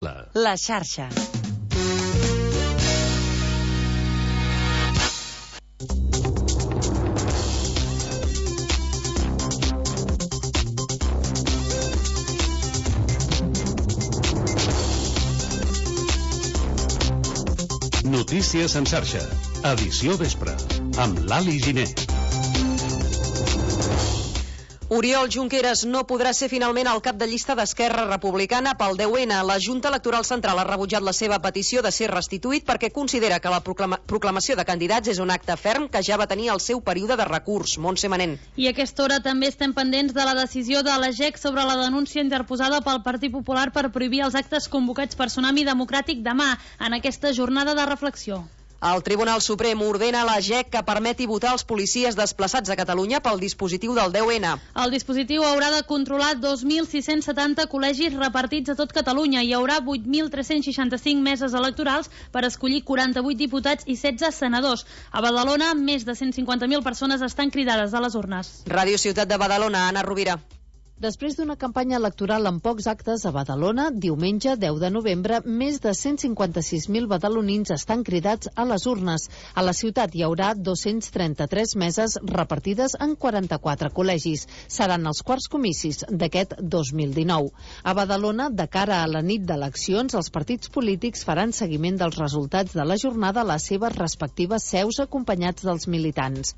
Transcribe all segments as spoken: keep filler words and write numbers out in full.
La xarxa. Notícies en xarxa, edició vespre, amb l'Ali Giner. Oriol Junqueras no podrà ser finalment el cap de llista d'Esquerra Republicana pel deu ena. La Junta Electoral Central ha rebutjat la seva petició de ser restituït perquè considera que la proclama proclamació de candidats és un acte ferm que ja va tenir el seu període de recurs. Montse Manent. I a aquesta hora també estem pendents de la decisió de la G E C sobre la denúncia interposada pel Partit Popular per prohibir els actes convocats per Tsunami Democràtic demà, en aquesta jornada de reflexió. El Tribunal Suprem ordena a la G E C que permeti votar els policies desplaçats a Catalunya pel dispositiu del deu ena. El dispositiu haurà de controlar dos mil sis-cents setanta col·legis repartits a tot Catalunya. Hi haurà vuit mil tres-cents seixanta-cinc meses electorals per escollir quaranta-vuit diputats i setze senadors. A Badalona, més de cent cinquanta mil persones estan cridades a les urnes. Ràdio Ciutat de Badalona, Anna Rovira. Després d'una campanya electoral amb pocs actes a Badalona, diumenge deu de novembre, més de cent cinquanta-sis mil badalonins estan cridats a les urnes. A la ciutat hi haurà dos-cents trenta-tres meses repartides en quaranta-quatre col·legis. Seran els quarts comicis d'aquest dos mil dinou. A Badalona, de cara a la nit d'eleccions, els partits polítics faran seguiment dels resultats de la jornada a les seves respectives seus acompanyats dels militants.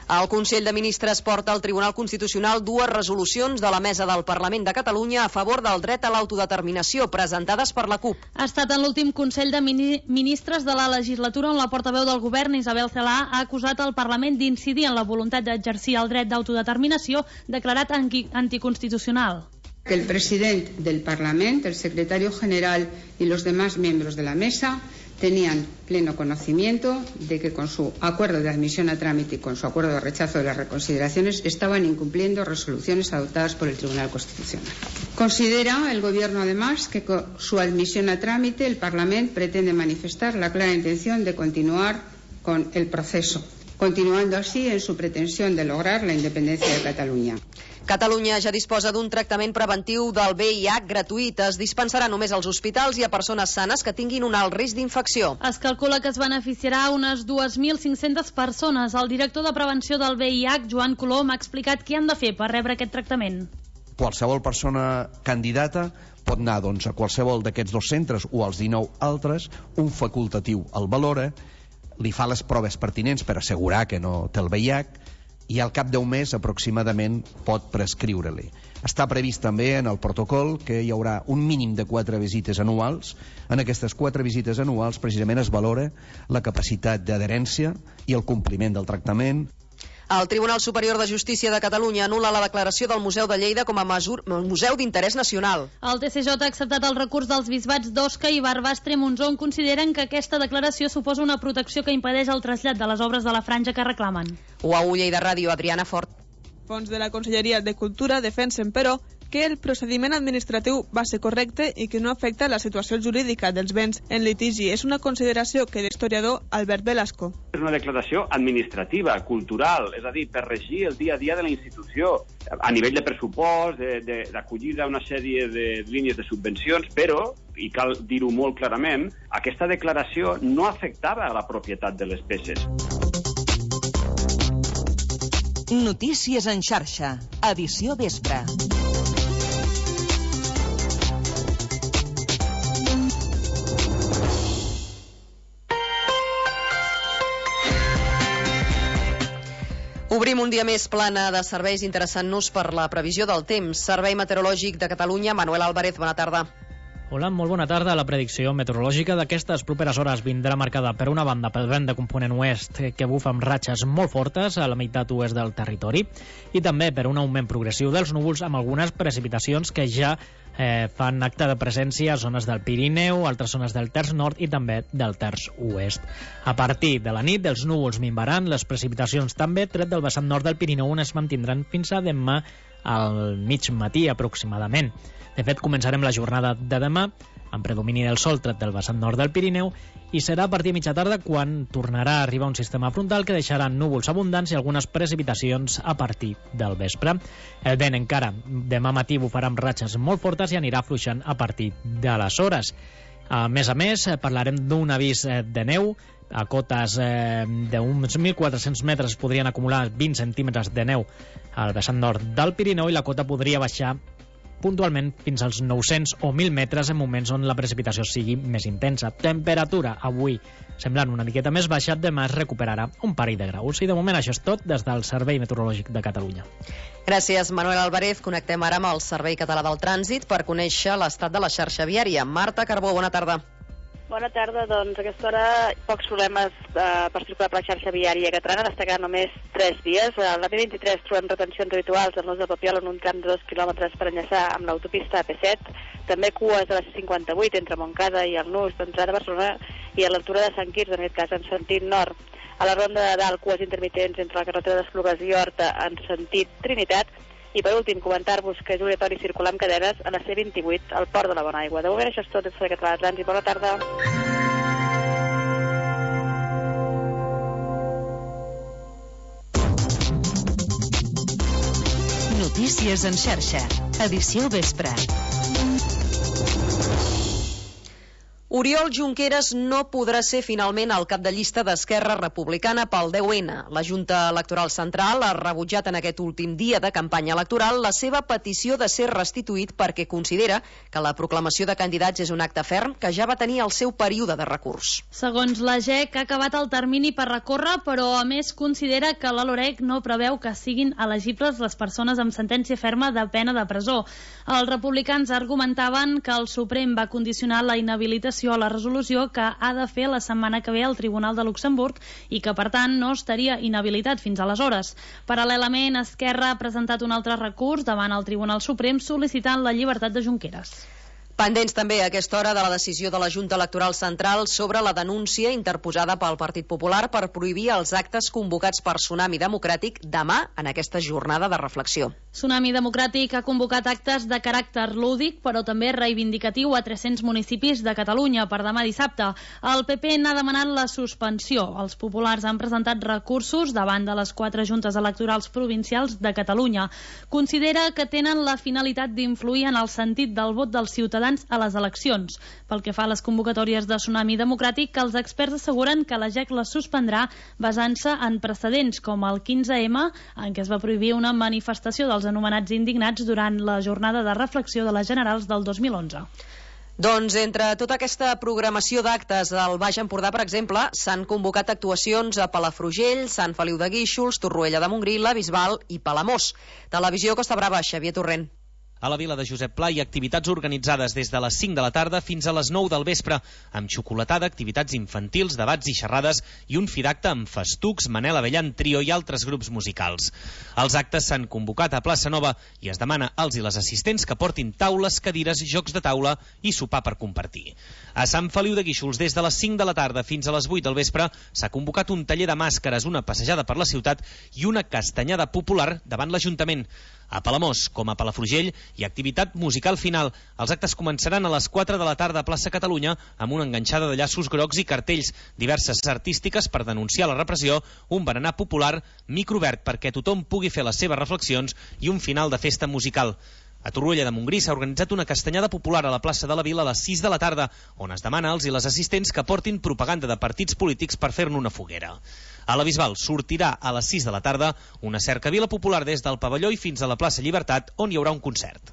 El Consell de Ministres porta al Tribunal Constitucional dues resolucions de la Mesa del Parlament de Catalunya a favor del dret a l'autodeterminació, presentades per la CUP. Ha estat en l'últim Consell de Ministres de la legislatura on la portaveu del govern, Isabel Celaá, ha acusat el Parlament d'incidir en la voluntat d'exercir el dret d'autodeterminació declarat anticonstitucional. Que el presidente del Parlamento, el secretario general y los demás miembros de la mesa tenían pleno conocimiento de que con su acuerdo de admisión a trámite y con su acuerdo de rechazo de las reconsideraciones estaban incumpliendo resoluciones adoptadas por el Tribunal Constitucional. Considera el Gobierno además que con su admisión a trámite el Parlamento pretende manifestar la clara intención de continuar con el proceso, continuando así en su pretensión de lograr la independencia de Catalunya. Catalunya ja disposa d'un tractament preventiu del V I H gratuït. Es dispensarà només als hospitals i a persones sanes que tinguin un alt risc d'infecció. Es calcula que es beneficiarà unes dos mil cinc-centes persones. El director de prevenció del V I H, Joan Colom, ha explicat què han de fer per rebre aquest tractament. Qualsevol persona candidata pot anar doncs, a qualsevol d'aquests dos centres o als dinou altres, un facultatiu el valora, li fa les proves pertinents per assegurar que no té el V I H i al cap d'un mes aproximadament pot prescriure-li. Està previst també en el protocol que hi haurà un mínim de quatre visites anuals. En aquestes quatre visites anuals precisament es valora la capacitat d'adherència i el compliment del tractament. El Tribunal Superior de Justícia de Catalunya anul·la la declaració del Museu de Lleida com a museu d'interès nacional. El T C J ha acceptat el recurs dels bisbats d'Osca i Barbastre-Montsó, on consideren que aquesta declaració suposa una protecció que impedeix el trasllat de les obres de la franja que reclamen. U A U Lleida Ràdio, Adriana Fort. Fons de la Conselleria de Cultura defensen, però, que el procediment administratiu va ser correcte i que no afecta la situació jurídica dels béns en litigi. És una consideració que l'historiador Albert Velasco. És una declaració administrativa, cultural, és a dir, per regir el dia a dia de la institució, a nivell de pressupost, d'acollida a una sèrie de línies de subvencions, però, i cal dir-ho molt clarament, aquesta declaració no afectava a la propietat de les peces. Notícies en xarxa, edició vespre. Obrim un dia més plana de serveis interessant-nos per la previsió del temps. Servei Meteorològic de Catalunya, Manuel Álvarez, bona tarda. Hola, molt bona tarda. La predicció meteorològica d'aquestes properes hores vindrà marcada per una banda pel vent de component oest que bufa amb ratxes molt fortes a la meitat oest del territori i també per un augment progressiu dels núvols amb algunes precipitacions que ja eh, fan acte de presència a zones del Pirineu, altres zones del terç nord i també del terç oest. A partir de la nit els núvols minvaran, les precipitacions també, tret del vessant nord del Pirineu on es mantindran fins a demà al mig matí aproximadament. De fet, començarem la jornada de demà amb predomini del sol tret del vessant nord del Pirineu i serà a partir de mitja tarda quan tornarà a arribar un sistema frontal que deixarà núvols abundants i algunes precipitacions a partir del vespre. El vent encara demà matí bufarà amb ratxes molt fortes i anirà afluixant a partir de les hores. A més a més, parlarem d'un avís de neu. A cotes eh, d'uns mil quatre-cents metres podrien acumular vint centímetres de neu al vessant nord del Pirineu i la cota podria baixar puntualment fins als nou-cents o mil metres en moments on la precipitació sigui més intensa. Temperatura avui semblant una miqueta més baixa, demà es recuperarà un parell de graus. I de moment això és tot des del Servei Meteorològic de Catalunya. Gràcies, Manuel Alvarez. Connectem ara amb el Servei Català del Trànsit per conèixer l'estat de la xarxa viària. Marta Carbó, bona tarda. Bona tarda, doncs a aquesta hora pocs problemes eh, per circular per la xarxa viària catalana, destacar només tres vies. A la B vint-i-tres trobem retencions habituals al nus de Papiol en un tram de dos quilòmetres per enllaçar amb l'autopista A P set, també cues a la C cinquanta-vuit entre Montcada i el nus d'entrada a Barcelona i a l'altura de Sant Quirze, en aquest cas en sentit nord. A la ronda de dalt, cues intermitents entre la carretera d'Esplugues i Horta en sentit Trinitat. I per últim, comentar-vos que és obligatori circular amb cadenes a la C vint-i-vuit al Port de la Bonaigua. De moment això és tot des del Català de Trànsit. Bona tarda. Notícies en xarxa. Edició vespre. Oriol Junqueras no podrà ser finalment el cap de llista d'Esquerra Republicana pel deu ena. La Junta Electoral Central ha rebutjat en aquest últim dia de campanya electoral la seva petició de ser restituït perquè considera que la proclamació de candidats és un acte ferm que ja va tenir el seu període de recurs. Segons la G E C, ha acabat el termini per recórrer, però a més considera que la LOREC no preveu que siguin elegibles les persones amb sentència ferma de pena de presó. Els republicans argumentaven que el Suprem va condicionar la inhabilitació a la resolució que ha de fer la setmana que ve al Tribunal de Luxemburg i que, per tant, no estaria inhabilitat fins aleshores. Paral·lelament, Esquerra ha presentat un altre recurs davant el Tribunal Suprem sol·licitant la llibertat de Junqueras. Pendents també a aquesta hora de la decisió de la Junta Electoral Central sobre la denúncia interposada pel Partit Popular per prohibir els actes convocats per Tsunami Democràtic demà en aquesta jornada de reflexió. Tsunami Democràtic ha convocat actes de caràcter lúdic, però també reivindicatiu a tres-cents municipis de Catalunya per demà dissabte. El P P n'ha demanat la suspensió. Els populars han presentat recursos davant de les quatre juntes electorals provincials de Catalunya. Considera que tenen la finalitat d'influir en el sentit del vot dels ciutadans a les eleccions. Pel que fa a les convocatòries de Tsunami Democràtic, els experts asseguren que la G E C les suspendrà basant-se en precedents com el quinze ema, en què es va prohibir una manifestació dels anomenats indignats durant la jornada de reflexió de les generals del dos mil onze. Doncs entre tota aquesta programació d'actes al Baix Empordà, per exemple, s'han convocat actuacions a Palafrugell, Sant Feliu de Guíxols, Torroella de Montgrí, la Bisbal i Palamós. Televisió Costa Brava, Xavier Torrent. A la vila de Josep Pla hi ha activitats organitzades des de les cinc de la tarda fins a les nou del vespre, amb xocolatada, activitats infantils, debats i xerrades i un fi d'acte amb Festucs, Manel Avellan Trio i altres grups musicals. Els actes s'han convocat a Plaça Nova i es demana als i les assistents que portin taules, cadires, jocs de taula i sopar per compartir. A Sant Feliu de Guíxols, des de les cinc de la tarda fins a les vuit del vespre, s'ha convocat un taller de màscares, una passejada per la ciutat i una castanyada popular davant l'Ajuntament. A Palamós, com a Palafrugell, hi ha activitat musical final. Els actes començaran a les quatre de la tarda a Plaça Catalunya amb una enganxada de llaços grocs i cartells, diverses artístiques per denunciar la repressió, un berenar popular, micro obert perquè tothom pugui fer les seves reflexions i un final de festa musical. A Torroella de Montgrí s'ha organitzat una castanyada popular a la plaça de la Vila a les sis de la tarda, on es demana als i les assistents que portin propaganda de partits polítics per fer-ne una foguera. A la Bisbal sortirà a les sis de la tarda una cercavila popular des del pavelló i fins a la plaça Llibertat, on hi haurà un concert.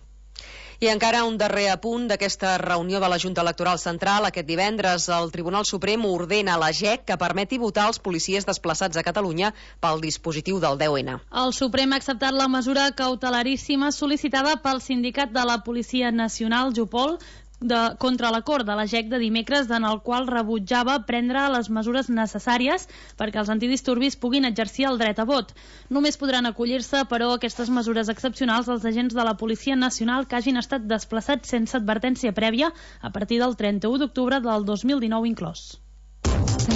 I encara un darrer apunt d'aquesta reunió de la Junta Electoral Central. Aquest divendres el Tribunal Suprem ordena a la G E C que permeti votar els policies desplaçats a Catalunya pel dispositiu del deu ena. El Suprem ha acceptat la mesura cautelaríssima sol·licitada pel sindicat de la Policia Nacional, Jupol, De, contra l'acord de la G E C de dimecres, en el qual rebutjava prendre les mesures necessàries perquè els antidisturbis puguin exercir el dret a vot. Només podran acollir-se, però, aquestes mesures excepcionals als agents de la Policia Nacional que hagin estat desplaçats sense advertència prèvia a partir del trenta-u d'octubre del dos mil dinou inclòs.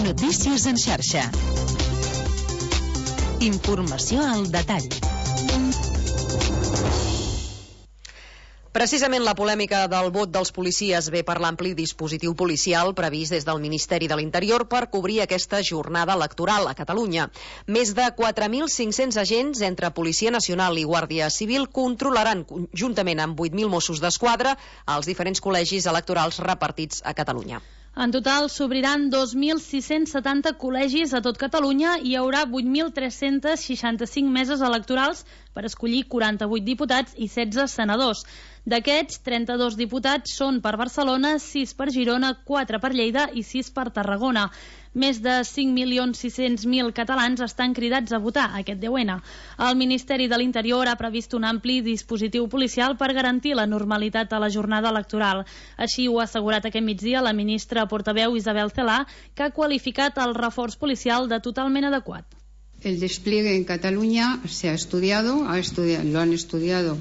Notícies en xarxa. Informació al detall. Precisament la polèmica del vot dels policies ve per l'ampli dispositiu policial previst des del Ministeri de l'Interior per cobrir aquesta jornada electoral a Catalunya. Més de quatre mil cinc-cents agents entre Policia Nacional i Guàrdia Civil controlaran, juntament amb vuit mil Mossos d'Esquadra, els diferents col·legis electorals repartits a Catalunya. En total s'obriran dos mil sis-cents setanta col·legis a tot Catalunya i hi haurà vuit mil tres-cents seixanta-cinc meses electorals per escollir quaranta-vuit diputats i setze senadors. D'aquests, trenta-dos diputats són per Barcelona, sis per Girona, quatre per Lleida i sis per Tarragona. Més de cinc milions sis-cents mil catalans estan cridats a votar aquest deu ena. El Ministeri de l'Interior ha previst un ampli dispositiu policial per garantir la normalitat a la jornada electoral. Així ho ha assegurat aquest migdia la ministra portaveu Isabel Celaá, que ha qualificat el reforç policial de totalment adequat. El despliegue en Cataluña se ha estudiado, ha estudiado lo han estudiado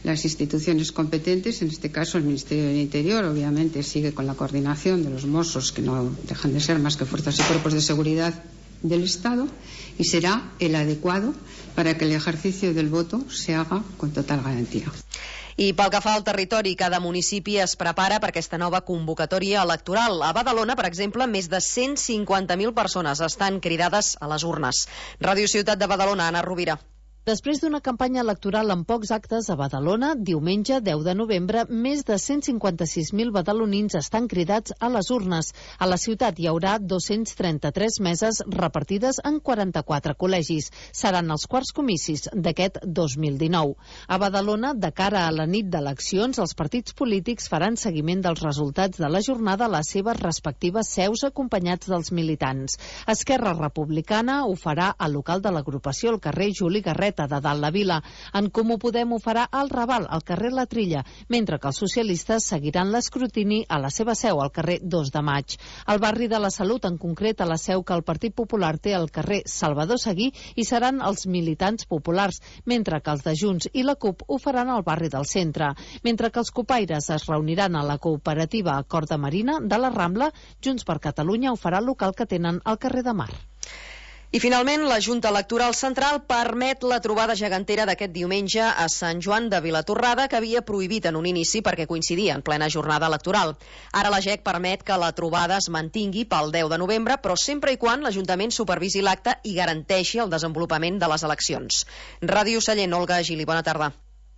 las instituciones competentes, en este caso el Ministerio del Interior, obviamente sigue con la coordinación de los Mossos, que no dejan de ser más que fuerzas y cuerpos de seguridad del Estado, y será el adecuado para que el ejercicio del voto se haga con total garantía. I pel que fa al territori, cada municipi es prepara per aquesta nova convocatòria electoral. A Badalona, per exemple, més de cent cinquanta mil persones estan cridades a les urnes. Ràdio Ciutat de Badalona, Anna Rovira. Després d'una campanya electoral amb pocs actes a Badalona, diumenge deu de novembre, més de cent cinquanta-sis mil badalonins estan cridats a les urnes. A la ciutat hi haurà dos-cents trenta-tres meses repartides en quaranta-quatre col·legis. Seran els quarts comicis d'aquest dos mil dinou. A Badalona, de cara a la nit d'eleccions, els partits polítics faran seguiment dels resultats de la jornada a les seves respectives seus acompanyats dels militants. Esquerra Republicana ho farà al local de l'agrupació al carrer Juli Garret de Dalt la Vila. En Comú Podem ho farà al Raval, al carrer La Trilla, mentre que els socialistes seguiran l'escrutini a la seva seu, al carrer dos de maig. Al barri de la Salut, en concret a la seu que el Partit Popular té al carrer Salvador Seguí, hi seran els militants populars, mentre que els de Junts i la CUP ho faran al barri del centre. Mentre que els copaires es reuniran a la cooperativa Acord de Marina de la Rambla, Junts per Catalunya ho farà al local que tenen al carrer de Mar. I finalment, la Junta Electoral Central permet la trobada gegantera d'aquest diumenge a Sant Joan de Vilatorrada, que havia prohibit en un inici perquè coincidia en plena jornada electoral. Ara la G E C permet que la trobada es mantingui pel deu de novembre, però sempre i quan l'Ajuntament supervisi l'acte i garanteixi el desenvolupament de les eleccions. Ràdio Sallent, Olga Gili, bona tarda.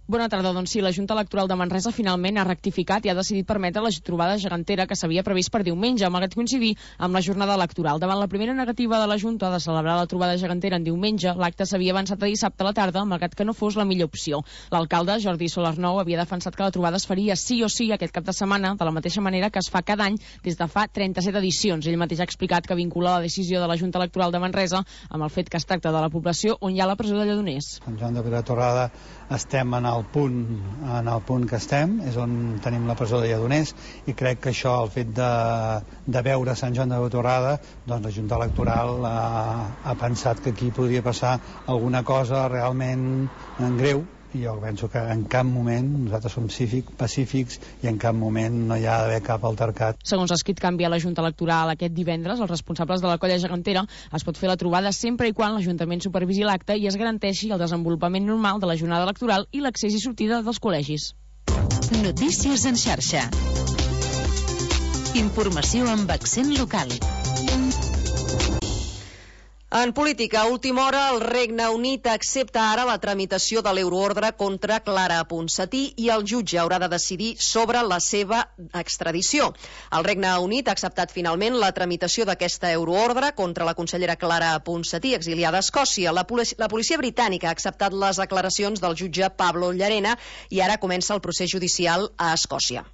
Bona tarda. Doncs sí, la Junta Electoral de Manresa finalment ha rectificat i ha decidit permetre la trobada gegantera que s'havia previst per diumenge, malgrat coincidir amb la jornada electoral. Davant la primera negativa de la Junta de celebrar la trobada gegantera en diumenge, l'acte s'havia avançat a dissabte a la tarda, malgrat que no fos la millor opció. L'alcalde, Jordi Solarnou, havia defensat que la trobada es faria sí o sí aquest cap de setmana, de la mateixa manera que es fa cada any des de fa trenta-set edicions. Ell mateix ha explicat que vincula la decisió de la Junta Electoral de Manresa amb el fet que es tracta de la població on hi ha la presó de Lledoners. Sant Joan de Vilatorrada estem en el punt en el punt que estem, és on tenim la presó de Lledoners, i crec que això, el fet de, de veure Sant Joan de Vilatorrada, doncs la Junta Electoral ha, ha pensat que aquí podria passar alguna cosa realment greu, i jo penso que en cap moment nosaltres som cívic, pacífics i en cap moment no hi ha d'haver cap altercat. Segons ha escrit canvi a la Junta Electoral aquest divendres, els responsables de la colla gegantera es pot fer la trobada sempre i quan l'Ajuntament supervisi l'acte i es garanteixi el desenvolupament normal de la jornada electoral i l'accés i sortida dels col·legis. Notícies en xarxa. Informació amb accent local. En política, a última hora, el Regne Unit accepta ara la tramitació de l'euroordre contra Clara Ponsatí i el jutge haurà de decidir sobre la seva extradició. El Regne Unit ha acceptat finalment la tramitació d'aquesta euroordre contra la consellera Clara Ponsatí, exiliada a Escòcia. La, policia, la policia britànica ha acceptat les declaracions del jutge Pablo Llarena i ara comença el procés judicial a Escòcia.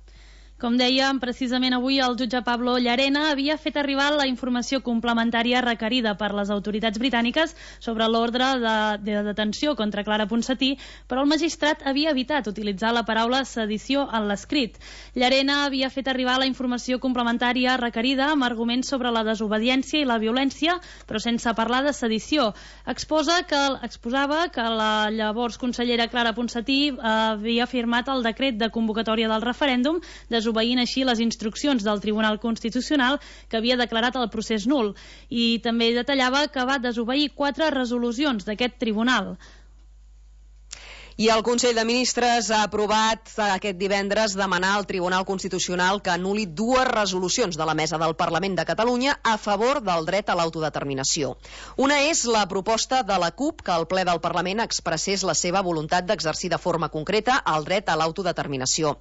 Com dèiem, precisament avui el jutge Pablo Llarena havia fet arribar la informació complementària requerida per les autoritats britàniques sobre l'ordre de, de detenció contra Clara Ponsatí, però el magistrat havia evitat utilitzar la paraula sedició en l'escrit. Llarena havia fet arribar la informació complementària requerida amb arguments sobre la desobediència i la violència, però sense parlar de sedició. Exposa que, exposava que la llavors consellera Clara Ponsatí eh, havia firmat el decret de convocatòria del referèndum, desobeint així les instruccions del Tribunal Constitucional que havia declarat el procés nul, i també detallava que va desobeir quatre resolucions d'aquest tribunal. I el Consell de Ministres ha aprovat aquest divendres demanar al Tribunal Constitucional que anul·li dues resolucions de la Mesa del Parlament de Catalunya a favor del dret a l'autodeterminació. Una és la proposta de la CUP que el ple del Parlament expressés la seva voluntat d'exercir de forma concreta el dret a l'autodeterminació.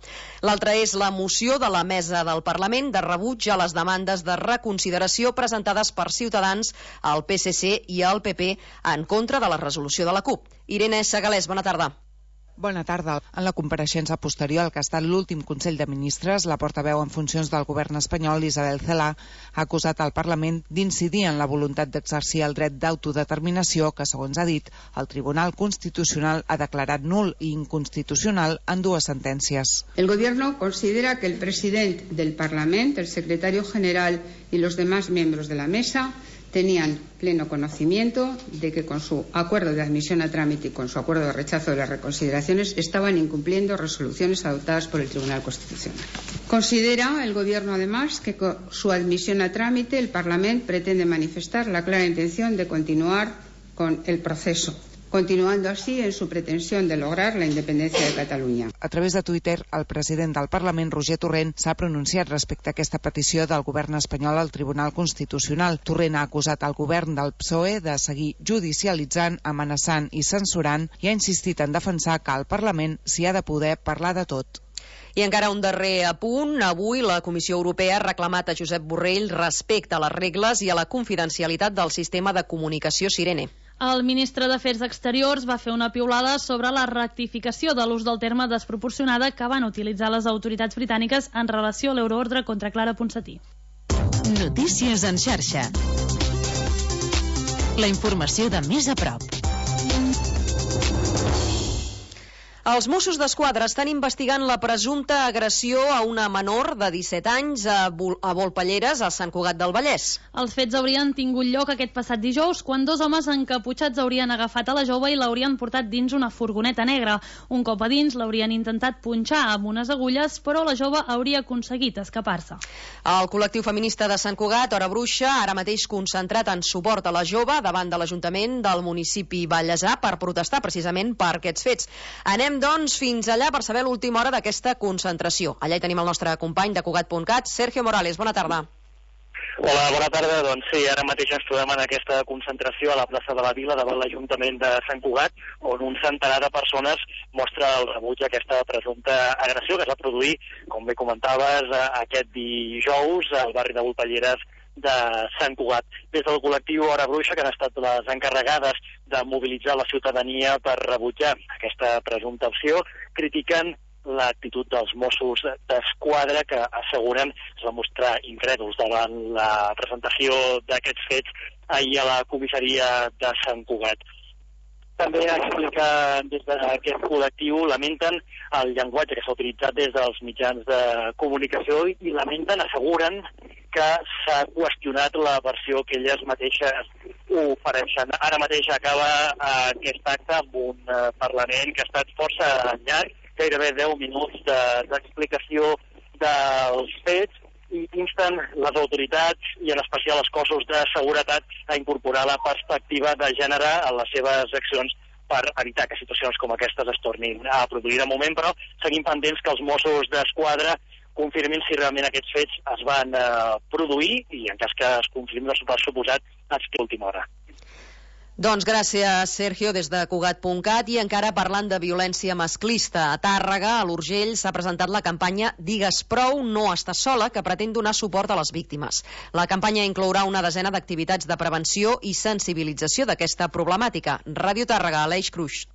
L'altra és la moció de la Mesa del Parlament de rebuig a les demandes de reconsideració presentades per Ciutadans, el P S C i el P P en contra de la resolució de la CUP. Irene Segalés, bona tarda. Bona tarda. En la compareixença posterior al que ha estat l'últim Consell de Ministres, la portaveu en funcions del govern espanyol, Isabel Celaá, ha acusat al Parlament d'incidir en la voluntat d'exercir el dret d'autodeterminació que, segons ha dit, el Tribunal Constitucional ha declarat nul i inconstitucional en dues sentències. El Gobierno considera que el presidente del Parlamento, el secretario general y los demás miembros de la mesa tenían pleno conocimiento de que con su acuerdo de admisión a trámite y con su acuerdo de rechazo de las reconsideraciones estaban incumpliendo resoluciones adoptadas por el Tribunal Constitucional. Considera el Gobierno, además, que con su admisión a trámite el Parlamento pretende manifestar la clara intención de continuar con el proceso, continuando así en su pretensión de lograr la independencia de Catalunya. A través de Twitter, el president del Parlament, Roger Torrent, s'ha pronunciat respecte a aquesta petició del govern espanyol al Tribunal Constitucional. Torrent ha acusat al govern del P S O E de seguir judicialitzant, amenaçant i censurant i ha insistit en defensar que el Parlament s'hi ha de poder parlar de tot. I encara un darrer apunt. Avui la Comissió Europea ha reclamat a Josep Borrell respecte a les regles i a la confidencialitat del sistema de comunicació Sirene. El ministre d'Afers Exteriors va fer una piulada sobre la rectificació de l'ús del terme desproporcionada que van utilitzar les autoritats britàniques en relació a l'euroordre contra Clara Ponsatí. Notícies en xarxa. La informació de més a prop. Els Mossos d'Esquadra estan investigant la presumpta agressió a una menor de disset anys a, a Volpelleres, a Sant Cugat del Vallès. Els fets haurien tingut lloc aquest passat dijous, quan dos homes encaputxats haurien agafat a la jove i l'haurien portat dins una furgoneta negra. Un cop a dins l'haurien intentat punxar amb unes agulles, però la jove hauria aconseguit escapar-se. El col·lectiu feminista de Sant Cugat, Hora Bruixa, ara mateix concentrat en suport a la jove davant de l'Ajuntament del municipi Vallèsà per protestar precisament per aquests fets. Anem doncs fins allà per saber l'última hora d'aquesta concentració. Allà hi tenim el nostre company de Cugat punt cat, Sergio Morales. Bona tarda. Hola, bona tarda. Doncs sí, ara mateix ens trobem en aquesta concentració a la plaça de la Vila davant l'Ajuntament de Sant Cugat, on un centenar de persones mostra el rebuig a aquesta presumpta agressió que es va produir, com bé comentaves, aquest dijous al barri de Volpelleres de Sant Cugat. Des del col·lectiu Hora Bruixa, que han estat les encarregades de mobilitzar la ciutadania per rebutjar aquesta presumpta opció, critiquen l'actitud dels Mossos d'Esquadra, que asseguren es va mostrar incrèduls davant la presentació d'aquests fets ahir a la comissaria de Sant Cugat. També explica des d'aquest col·lectiu, lamenten el llenguatge que s'ha utilitzat des dels mitjans de comunicació i lamenten, asseguren, que s'ha qüestionat la versió que elles mateixes ofereixen. Ara mateix acaba aquest acte amb un Parlament que ha estat força llarg, gairebé deu minuts d'explicació dels fets, i insten les autoritats i en especial els cossos de seguretat a incorporar la perspectiva de gènere en les seves accions per evitar que situacions com aquestes es tornin a produir. De moment, però, seguim pendents que els Mossos d'Esquadra confirmin si realment aquests fets es van eh, produir i en cas que es confirmi per suposat fins a l'última hora. Doncs gràcies, Sergio, des de Cugat punt cat. I encara parlant de violència masclista, a Tàrrega, a l'Urgell, s'ha presentat la campanya Digues prou, no estàs sola, que pretén donar suport a les víctimes. La campanya inclourà una desena d'activitats de prevenció i sensibilització d'aquesta problemàtica. Ràdio Tàrrega, Aleix Cruix.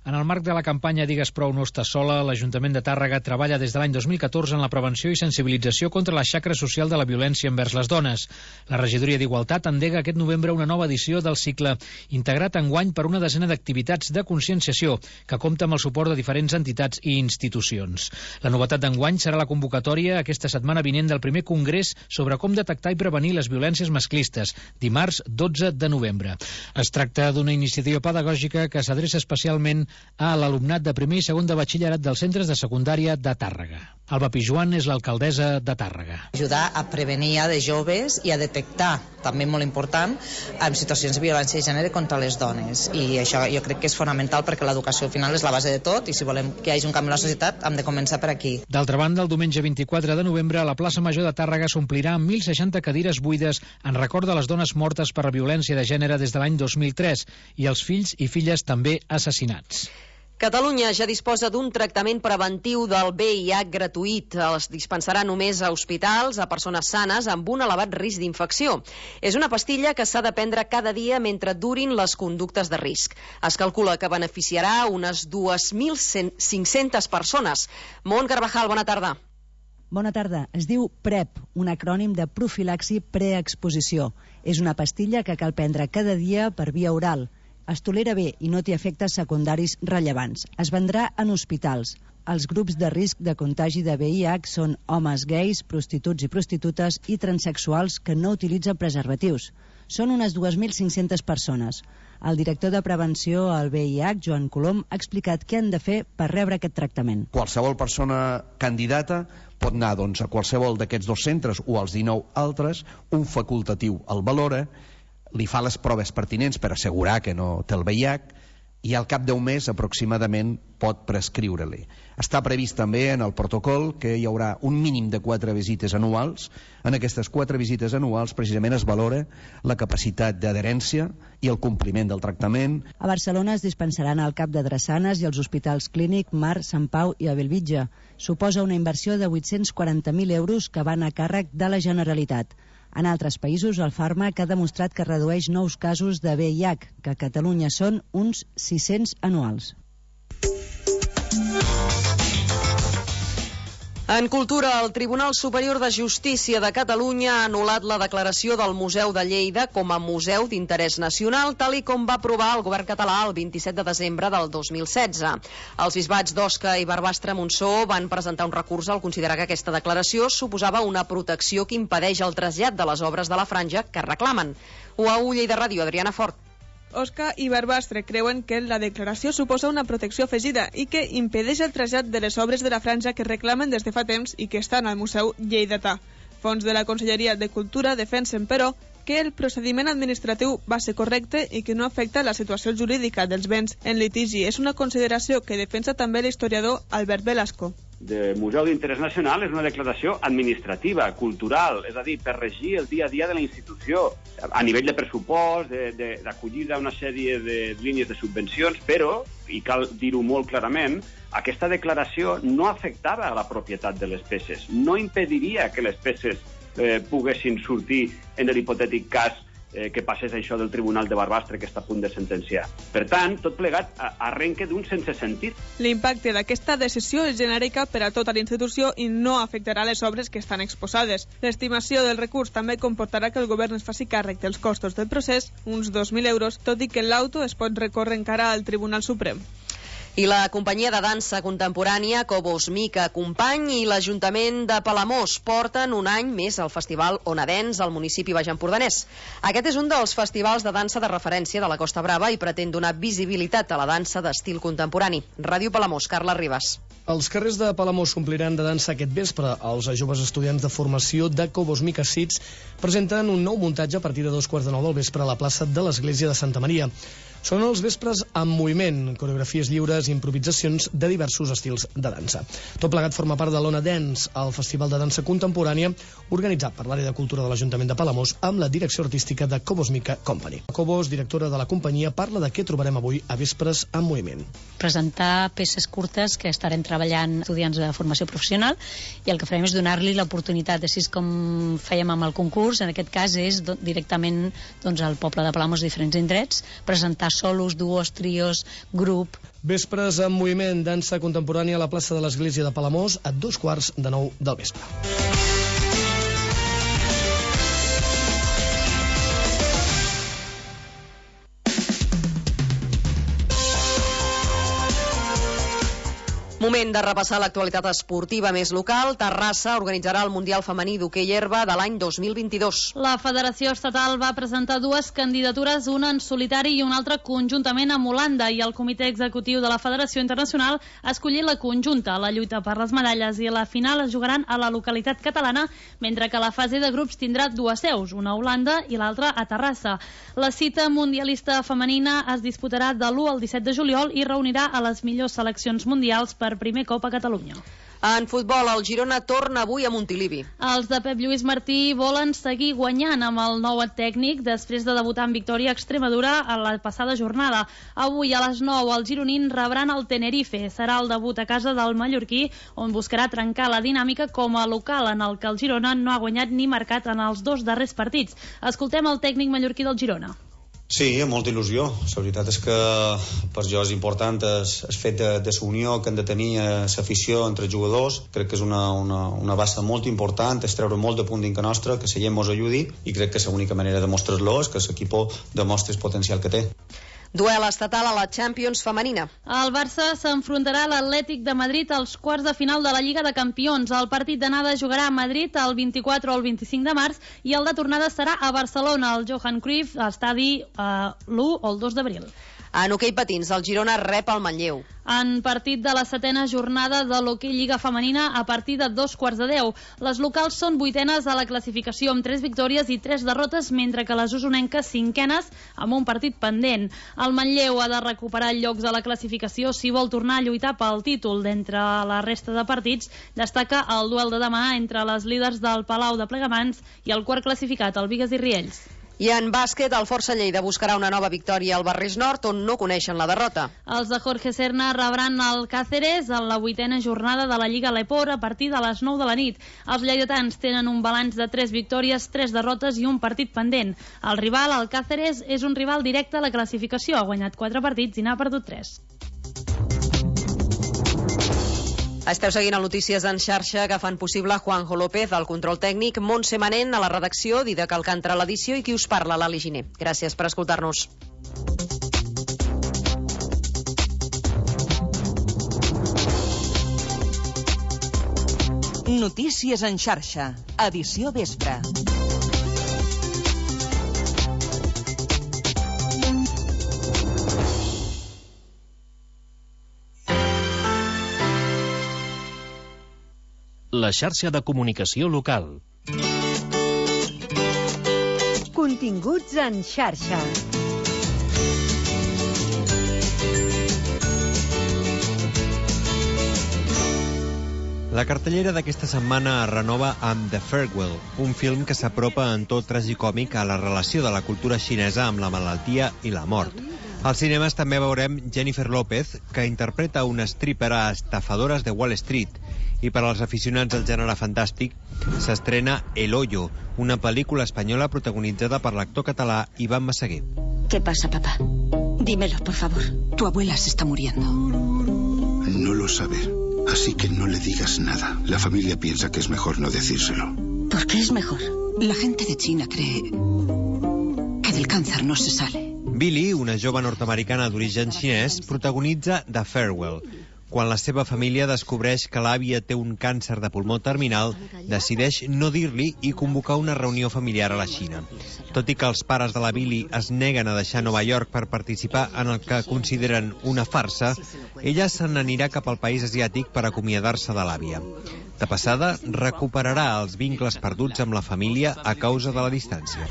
En el marc de la campanya Digues prou, no estàs sola, l'Ajuntament de Tàrrega treballa des de l'any dos mil catorze en la prevenció i sensibilització contra la xacra social de la violència envers les dones. La Regidoria d'Igualtat endega aquest novembre una nova edició del cicle, integrat enguany per una desena d'activitats de conscienciació, que compta amb el suport de diferents entitats i institucions. La novetat d'enguany serà la convocatòria aquesta setmana vinent del primer congrés sobre com detectar i prevenir les violències masclistes, dimarts dotze de novembre. Es tracta d'una iniciativa pedagògica que s'adreça especialment a l'alumnat de primer i segon de batxillerat dels centres de secundària de Tàrrega. Alba Pijuan és l'alcaldessa de Tàrrega. Ajudar a prevenir de joves i a detectar, també molt important, en situacions de violència de gènere contra les dones. I això jo crec que és fonamental perquè l'educació al final és la base de tot i si volem que hi hagi un canvi a la societat hem de començar per aquí. D'altra banda, el diumenge vint-i-quatre de novembre a la plaça Major de Tàrrega s'omplirà amb mil seixanta cadires buides en record de les dones mortes per la violència de gènere des de l'any dos mil tres i els fills i filles també assassinats. Catalunya ja disposa d'un tractament preventiu del V I H gratuït. Es dispensarà només a hospitals, a persones sanes amb un elevat risc d'infecció. És una pastilla que s'ha de prendre cada dia mentre durin les conductes de risc. Es calcula que beneficiarà unes dos mil cinc-centes persones. Mont Carvajal, bona tarda. Bona tarda. Es diu PrEP, un acrònim de profilaxi preexposició. És una pastilla que cal prendre cada dia per via oral. Es tolera bé i no té efectes secundaris rellevants. Es vendrà en hospitals. Els grups de risc de contagi de V I H són homes gais, prostituts i prostitutes i transexuals que no utilitzen preservatius. Són unes dos mil cinc-centes persones. El director de prevenció al V I H, Joan Colom, ha explicat què han de fer per rebre aquest tractament. Qualsevol persona candidata pot anar doncs, a qualsevol d'aquests dos centres o als dinou altres, un facultatiu el valora, li fa les proves pertinents per assegurar que no té el V I H i al cap d'un mes aproximadament pot prescriure-li. Està previst també en el protocol que hi haurà un mínim de quatre visites anuals. En aquestes quatre visites anuals precisament es valora la capacitat d'adherència i el compliment del tractament. A Barcelona es dispensaran al cap de Drassanes i als hospitals Clínic, Mar, Sant Pau i a Bellvitge. Suposa una inversió de vuit-cents quaranta mil euros que van a càrrec de la Generalitat. En altres països, el fàrmac ha demostrat que redueix nous casos de V I H, que a Catalunya són uns sis-cents anuals. En cultura, el Tribunal Superior de Justícia de Catalunya ha anul·lat la declaració del Museu de Lleida com a museu d'interès nacional, tal i com va aprovar el govern català el vint-i-set de desembre del dos mil setze. Els bisbats d'Osca i Barbastre-Montsó van presentar un recurs al considerar que aquesta declaració suposava una protecció que impedeix el trasllat de les obres de la franja que reclamen. U A U Lleida Ràdio, Adriana Fort. Osca i Barbastre creuen que la declaració suposa una protecció afegida i que impedeix el trasllat de les obres de la franja que reclamen des de fa temps i que estan al Museu Lleidatà. Fons de la Conselleria de Cultura defensen, però, que el procediment administratiu va ser correcte i que no afecta la situació jurídica dels béns en litigi. És una consideració que defensa també l'historiador Albert Velasco. De Museu d'Interès Nacional és una declaració administrativa, cultural, és a dir, per regir el dia a dia de la institució, a nivell de pressupost, d'acollida a una sèrie de línies de subvencions, però, i cal dir-ho molt clarament, aquesta declaració no afectava a la propietat de les peces, no impediria que les peces eh, poguessin sortir en l'hipotètic cas eh, que passés això del Tribunal de Barbastre que està a punt de sentenciar. Per tant, tot plegat arrenca d'un sense sentit. L'impacte d'aquesta decisió és genèrica per a tota la institució i no afectarà les obres que estan exposades. L'estimació del recurs també comportarà que el govern es faci càrrec dels costos del procés, uns dos mil euros, tot i que l'auto es pot recórrer encara al Tribunal Suprem. I la companyia de dansa contemporània Cobos Mica Company i l'Ajuntament de Palamós porten un any més al Festival Onadens al municipi baix empordanès. Aquest és un dels festivals de dansa de referència de la Costa Brava i pretén donar visibilitat a la dansa d'estil contemporani. Ràdio Palamós, Carla Ribas. Els carrers de Palamós s'ompliran de dansa aquest vespre. Els joves estudiants de formació de Cobos Mica Sits presenten un nou muntatge a partir de dos quarts de nou del vespre a la plaça de l'Església de Santa Maria. Són els vespres amb moviment, coreografies lliures i improvisacions de diversos estils de dansa. Tot plegat forma part de l'Ona Dance, el festival de dansa contemporània organitzat per l'àrea de cultura de l'Ajuntament de Palamós amb la direcció artística de Cobos Mica Company. Cobos, directora de la companyia, parla de què trobarem avui a Vespres amb moviment. Presentar peces curtes que estarem treballant estudiants de formació professional i el que farem és donar-li l'oportunitat, així com fèiem amb el concurs, en aquest cas és directament doncs, al poble de Palamós, diferents indrets, presentar solos, duos, trios, grup. Vespres en moviment, dansa contemporània a la plaça de l'Església de Palamós a dos quarts de nou del vespre. Moment de repassar l'actualitat esportiva més local. Terrassa organitzarà el Mundial Femení d'Hoquei Herba de l'any dos mil vint-i-dos. La Federació Estatal va presentar dues candidatures, una en solitari i una altra conjuntament amb Holanda, i el Comitè Executiu de la Federació Internacional ha escollit la conjunta. La lluita per les medalles i la final es jugaran a la localitat catalana, mentre que la fase de grups tindrà dues seus, una a Holanda i l'altra a Terrassa. La cita mundialista femenina es disputarà de l'u al disset de juliol i reunirà a les millors seleccions mundials per primer cop a Catalunya. En futbol, el Girona torna avui a Montilivi. Els de Pep Lluís Martí volen seguir guanyant amb el nou tècnic després de debutar en victòria a Extremadura a la passada jornada. Avui a les nou els gironins rebran el Tenerife. Serà el debut a casa del mallorquí, on buscarà trencar la dinàmica com a local, en el que el Girona no ha guanyat ni marcat en els dos darrers partits. Escoltem el tècnic mallorquí del Girona. Sí, amb molta il·lusió. La veritat és que per jo és important el fet de, de la unió que han de tenir l'afició entre jugadors. Crec que és una, una, una base molt important, és treure molt de punt dintre nostra, que la gent ens ajudi, i crec que l'única manera de mostrar-lo és que l'equip demostri el potencial que té. Duel estatal a la Champions femenina. El Barça s'enfrontarà a l'Atlètic de Madrid als quarts de final de la Lliga de Campions. El partit d'anada jugarà a Madrid el vint-i-quatre o el vint-i-cinc de març i el de tornada serà a Barcelona, al Johan Cruyff, estadi eh, l'u o el dos d'abril. En hoquei patins, el Girona rep el Manlleu. En partit de la setena jornada de l'hoquei Lliga Femenina a partir de dos quarts de deu. Les locals són vuitenes a la classificació amb tres victòries i tres derrotes, mentre que les usonenques cinquenes amb un partit pendent. El Manlleu ha de recuperar llocs a la classificació si vol tornar a lluitar pel títol. D'entre la resta de partits destaca el duel de demà entre les líders del Palau de Plegamans i el quart classificat, el Bigues i Riells. I en bàsquet, el Força Lleida buscarà una nova victòria al Barris Nord, on no coneixen la derrota. Els de Jorge Serna rebran el Cáceres en la vuitena jornada de la Lliga Leport a partir de les nou de la nit. Els lleidatans tenen un balanç de tres victòries, tres derrotes i un partit pendent. El rival, el Cáceres, és un rival directe a la classificació. Ha guanyat quatre partits i n'ha perdut tres. Esteu seguint el Notícies en xarxa, que fan possible Juanjo López, al control tècnic, Montse Manent a la redacció, Didac Alcántara a l'edició i qui us parla, Lali Giner. Gràcies per escoltar-nos. Notícies en xarxa, edició vespre. La xarxa de comunicació local. Continguts en xarxa. La cartellera d'aquesta setmana es renova amb The Farewell, un film que s'apropa en tot tragicòmic a la relació de la cultura xinesa amb la malaltia i la mort. Als cinemes també veurem Jennifer López, que interpreta una stripper a Estafadores de Wall Street, i per als aficionats al gènere fantàstic s'estrena El Hoyo, una pel·lícula espanyola protagonitzada per l'actor català Iván Massaguer. ¿Qué pasa, papá? Dímelo, por favor. Tu abuela se está muriendo. No lo sabe, así que no le digas nada. La familia piensa que es mejor no decírselo. ¿Por qué es mejor? La gente de China cree que del cáncer no se sale. Billy, una jove nord-americana d'origen xinès, protagonitza The Farewell. Quan la seva família descobreix que l'àvia té un càncer de pulmó terminal, decideix no dir-li i convocar una reunió familiar a la Xina. Tot i que els pares de la Billy es neguen a deixar Nova York per participar en el que consideren una farsa, ella se n'anirà cap al país asiàtic per acomiadar-se de l'àvia. De passada, recuperarà els vincles perduts amb la família a causa de la distància.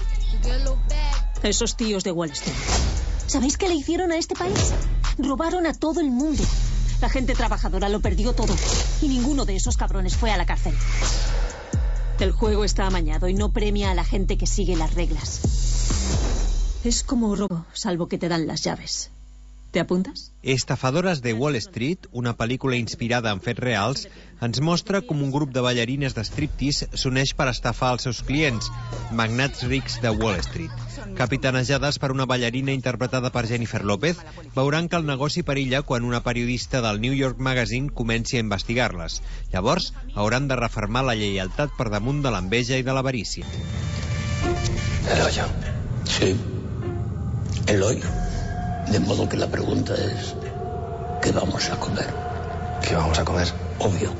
Esos tíos de Wall Street. ¿Sabéis qué le hicieron a este país? Robaron a todo el mundo. La gente trabajadora lo perdió todo y ninguno de esos cabrones fue a la cárcel. El juego está amañado y no premia a la gente que sigue las reglas. Es como robo, salvo que te dan las llaves. ¿Te apuntes? Estafadores de Wall Street, una pel·lícula inspirada en fets reals, ens mostra com un grup de ballarines de striptease s'uneix per estafar els seus clients, magnats rics de Wall Street. Capitanejades per una ballarina interpretada per Jennifer López, veuran que el negoci perilla quan una periodista del New York Magazine comenci a investigar-les. Llavors, hauran de refermar la lleialtat per damunt de l'enveja i de l'avarícia. El hoyo. Sí. El hoyo. De modo que la pregunta es, ¿qué vamos a comer? ¿Qué vamos a comer? Obvio,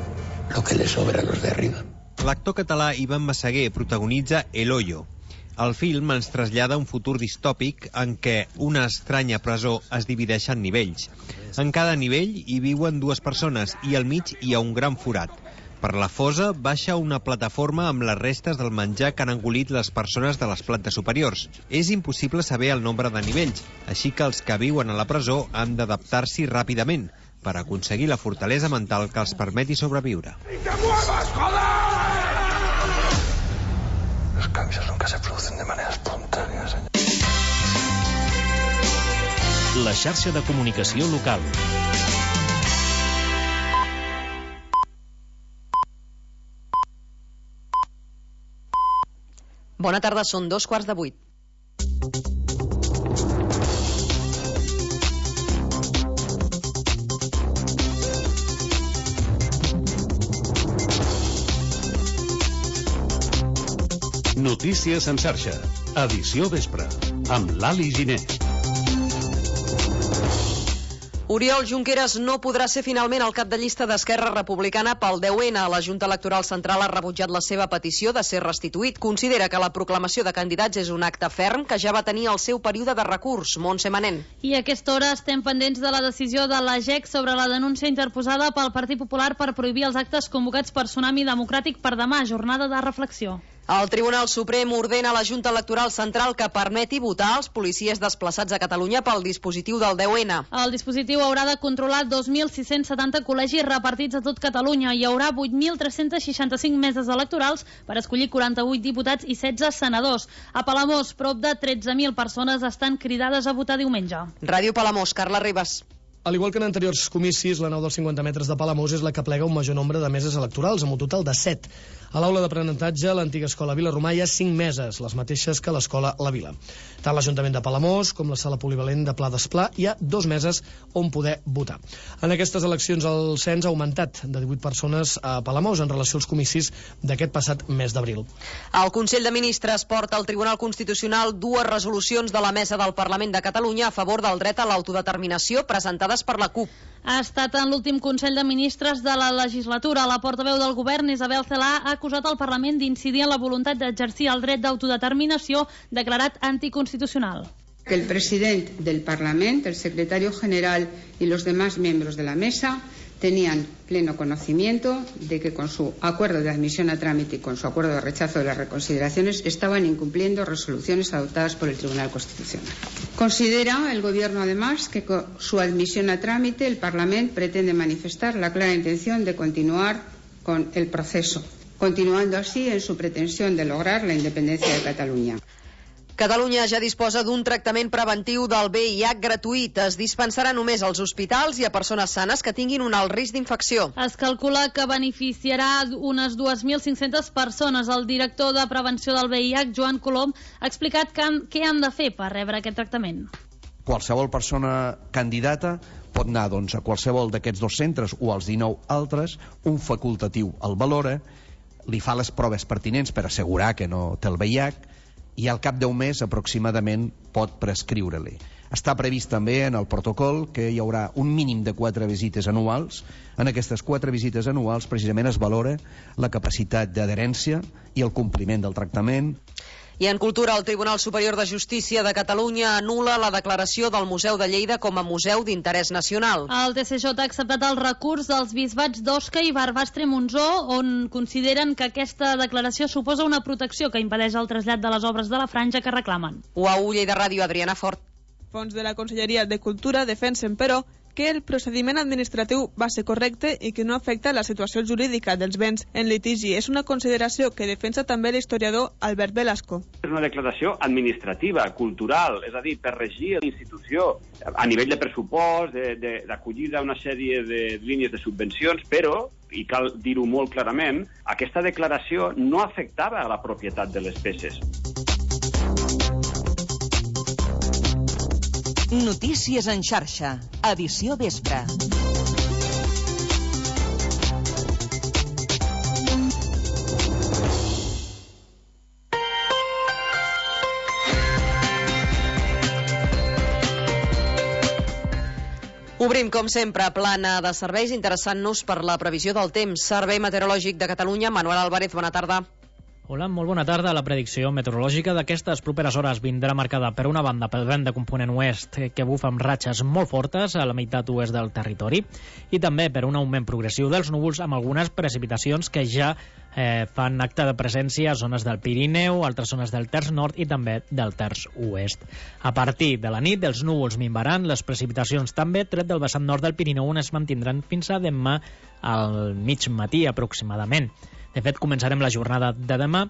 lo que les sobra a los de arriba. L'actor català Ivan Massaguer protagonitza El Hoyo. El film ens trasllada a un futur distòpic en què una estranya presó es divideix en nivells. En cada nivell hi viuen dues persones i al mig hi ha un gran forat. Per la fosa baixa una plataforma amb les restes del menjar que han engolit les persones de les plantes superiors. És impossible saber el nombre de nivells, així que els que viuen a la presó han d'adaptar-s'hi ràpidament per aconseguir la fortalesa mental que els permeti sobreviure. Los cambios nunca se producen de manera espontánea, señor. La xarxa de comunicació local. Bona tarda, són dos quarts de vuit. Notícies en xarxa, edició vespre, amb l'Ali Giner. Oriol Junqueras no podrà ser finalment el cap de llista d'Esquerra Republicana pel deu ena. La Junta Electoral Central ha rebutjat la seva petició de ser restituït. Considera que la proclamació de candidats és un acte ferm que ja va tenir el seu període de recurs. Montse Manent. I a aquesta hora estem pendents de la decisió de l'A G E C sobre la denúncia interposada pel Partit Popular per prohibir els actes convocats per Tsunami Democràtic per demà, jornada de reflexió. El Tribunal Suprem ordena a la Junta Electoral Central que permeti votar als policies desplaçats a Catalunya pel dispositiu del deu ena. El dispositiu haurà de controlar dos mil sis-cents setanta col·legis repartits a tot Catalunya. Hi haurà vuit mil tres-cents seixanta-cinc meses electorals per escollir quaranta-vuit diputats i setze senadors. A Palamós, prop de tretze mil persones estan cridades a votar diumenge. Ràdio Palamós, Carla Ribas. Al igual que en anteriors comicis, la nau dels cinquanta metres de Palamós és la que plega un major nombre de meses electorals, amb un total de set. A l'aula d'aprenentatge, l'antiga escola Vila Romà, hi ha cinc meses, les mateixes que l'escola La Vila. Tant l'Ajuntament de Palamós com la sala polivalent de Pla d'Esplà hi ha dos meses on poder votar. En aquestes eleccions el cens ha augmentat de divuit persones a Palamós en relació als comicis d'aquest passat mes d'abril. El Consell de Ministres porta al Tribunal Constitucional dues resolucions de la Mesa del Parlament de Catalunya a favor del dret a l'autodeterminació presentades per la CUP. Ha estat en l'últim Consell de Ministres de la legislatura. La portaveu del govern, Isabel Celaá, ha acusat el Parlament d'incidir en la voluntat d'exercir el dret d'autodeterminació declarat anticonstitucional. Que el presidente del Parlamento, el secretario general y los demás miembros de la mesa tenían pleno conocimiento de que con su acuerdo de admisión a trámite y con su acuerdo de rechazo de las reconsideraciones estaban incumpliendo resoluciones adoptadas por el Tribunal Constitucional. Considera el Gobierno además que con su admisión a trámite el Parlamento pretende manifestar la clara intención de continuar con el proceso, continuando así en su pretensión de lograr la independencia de Cataluña. Catalunya ja disposa d'un tractament preventiu del V I H gratuït. Es dispensarà només als hospitals i a persones sanes que tinguin un alt risc d'infecció. Es calcula que beneficiarà unes dues mil cinc-centes persones. El director de prevenció del V I H, Joan Colom, ha explicat que han, què han de fer per rebre aquest tractament. Qualsevol persona candidata pot anar doncs, a qualsevol d'aquests dos centres o als dinou altres, un facultatiu el valora, li fa les proves pertinents per assegurar que no té el V I H i al cap d'un mes aproximadament pot prescriure-li. Està previst també en el protocol que hi haurà un mínim de quatre visites anuals. En aquestes quatre visites anuals precisament es valora la capacitat d'adherència i el compliment del tractament. I en cultura, el Tribunal Superior de Justícia de Catalunya anul·la la declaració del Museu de Lleida com a museu d'interès nacional. El T C J ha acceptat el recurs dels bisbats d'Osca i Barbastre-Montsó, on consideren que aquesta declaració suposa una protecció que impedeix el trasllat de les obres de la franja que reclamen. U A U Lleida Ràdio, Adriana Fort. Fons de la Conselleria de Cultura defensen, però, que el procediment administratiu va ser correcte i que no afecta la situació jurídica dels béns en litigi. És una consideració que defensa també l'historiador Albert Velasco. És una declaració administrativa, cultural, és a dir, per regir la institució a nivell de pressupost, d'acollida a una sèrie de línies de subvencions, però, i cal dir-ho molt clarament, aquesta declaració no afectava a la propietat de les peces. Notícies en xarxa, edició vespre. Obrim, com sempre, plana de serveis, interessant-nos per la previsió del temps. Servei Meteorològic de Catalunya, Manuel Álvarez, bona tarda. Hola, molt bona tarda. La predicció meteorològica d'aquestes properes hores vindrà marcada per una banda pel vent de component oest que bufa amb ratxes molt fortes a la meitat oest del territori i també per un augment progressiu dels núvols amb algunes precipitacions que ja eh, fan acte de presència a zones del Pirineu, altres zones del terç nord i també del terç oest. A partir de la nit els núvols minvaran, les precipitacions també, tret del vessant nord del Pirineu on es mantindran fins a demà al mig matí aproximadament. De fet, començarem la jornada de demà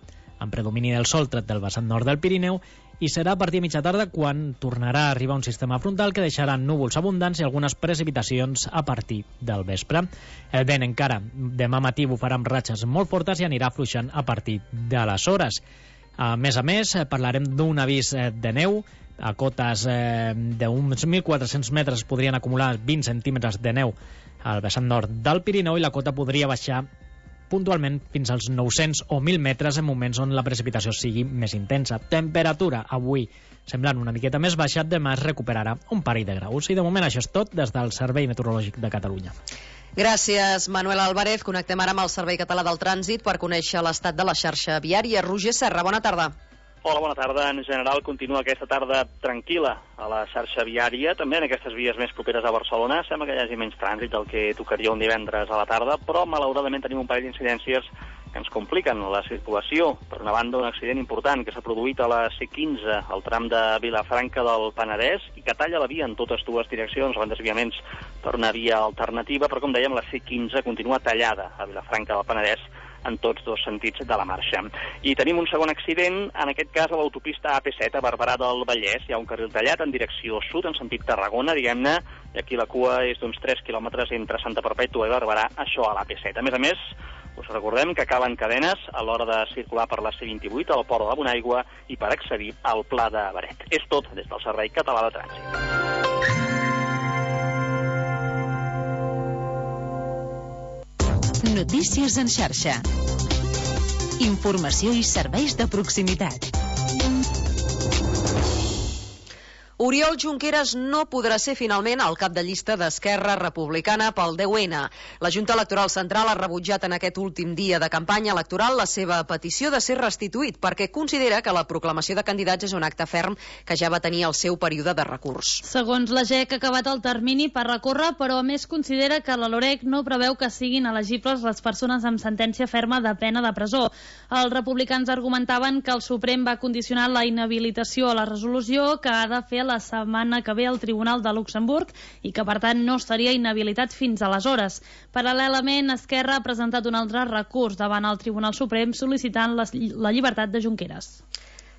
amb predomini del sol tret del vessant nord del Pirineu i serà a partir de mitja tarda quan tornarà a arribar un sistema frontal que deixarà núvols abundants i algunes precipitacions a partir del vespre. El vent encara demà matí bufarà amb ratxes molt fortes i anirà afluixant a partir de les hores. A més a més, parlarem d'un avís de neu. A cotes eh, d'uns mil quatre-cents metres podrien acumular vint centímetres de neu al vessant nord del Pirineu i la cota podria baixar puntualment fins als nou-cents o mil metres en moments on la precipitació sigui més intensa. Temperatura avui semblant una miqueta més baixa, demà es recuperarà un parell de graus. I de moment això és tot des del Servei Meteorològic de Catalunya. Gràcies, Manuel Álvarez. Connectem ara amb el Servei Català del Trànsit per conèixer l'estat de la xarxa viària. Roger Serra, bona tarda. Hola, bona tarda. En general continua aquesta tarda tranquil·la a la xarxa viària, també en aquestes vies més properes a Barcelona. Sembla que hi hagi menys trànsit del que tocaria un divendres a la tarda, però malauradament tenim un parell d'incidències que ens compliquen la circulació. Per una banda, un accident important que s'ha produït a la C quinze, al tram de Vilafranca del Penedès, i que talla la via en totes dues direccions, amb desviaments per una via alternativa, però com dèiem, la C quinze continua tallada a Vilafranca del Penedès en tots dos sentits de la marxa. I tenim un segon accident, en aquest cas a l'autopista A P set a Barberà del Vallès. Hi ha un carril tallat en direcció sud, en sentit Tarragona, diguem-ne, i aquí la cua és d'uns tres quilòmetres entre Santa Perpètua i Barberà, això a l'A P set. A més a més, us recordem que calen cadenes a l'hora de circular per la C vint-i-vuit al port de la Bonaigua i per accedir al Pla de Beret. És tot des del Servei Català de Trànsit. Notícies en xarxa. Informació i serveis de proximitat. Oriol Junqueras no podrà ser finalment el cap de llista d'Esquerra Republicana pel deu ene. La Junta Electoral Central ha rebutjat en aquest últim dia de campanya electoral la seva petició de ser restituït perquè considera que la proclamació de candidats és un acte ferm que ja va tenir el seu període de recurs. Segons la G E C ha acabat el termini per recórrer, però a més considera que la LOREC no preveu que siguin elegibles les persones amb sentència ferma de pena de presó. Els republicans argumentaven que el Suprem va condicionar la inhabilitació a la resolució que ha de fer la setmana que ve al Tribunal de Luxemburg i que, per tant, no estaria inhabilitat fins aleshores. Paral·lelament, Esquerra ha presentat un altre recurs davant el Tribunal Suprem sol·licitant la, la llibertat de Junqueras.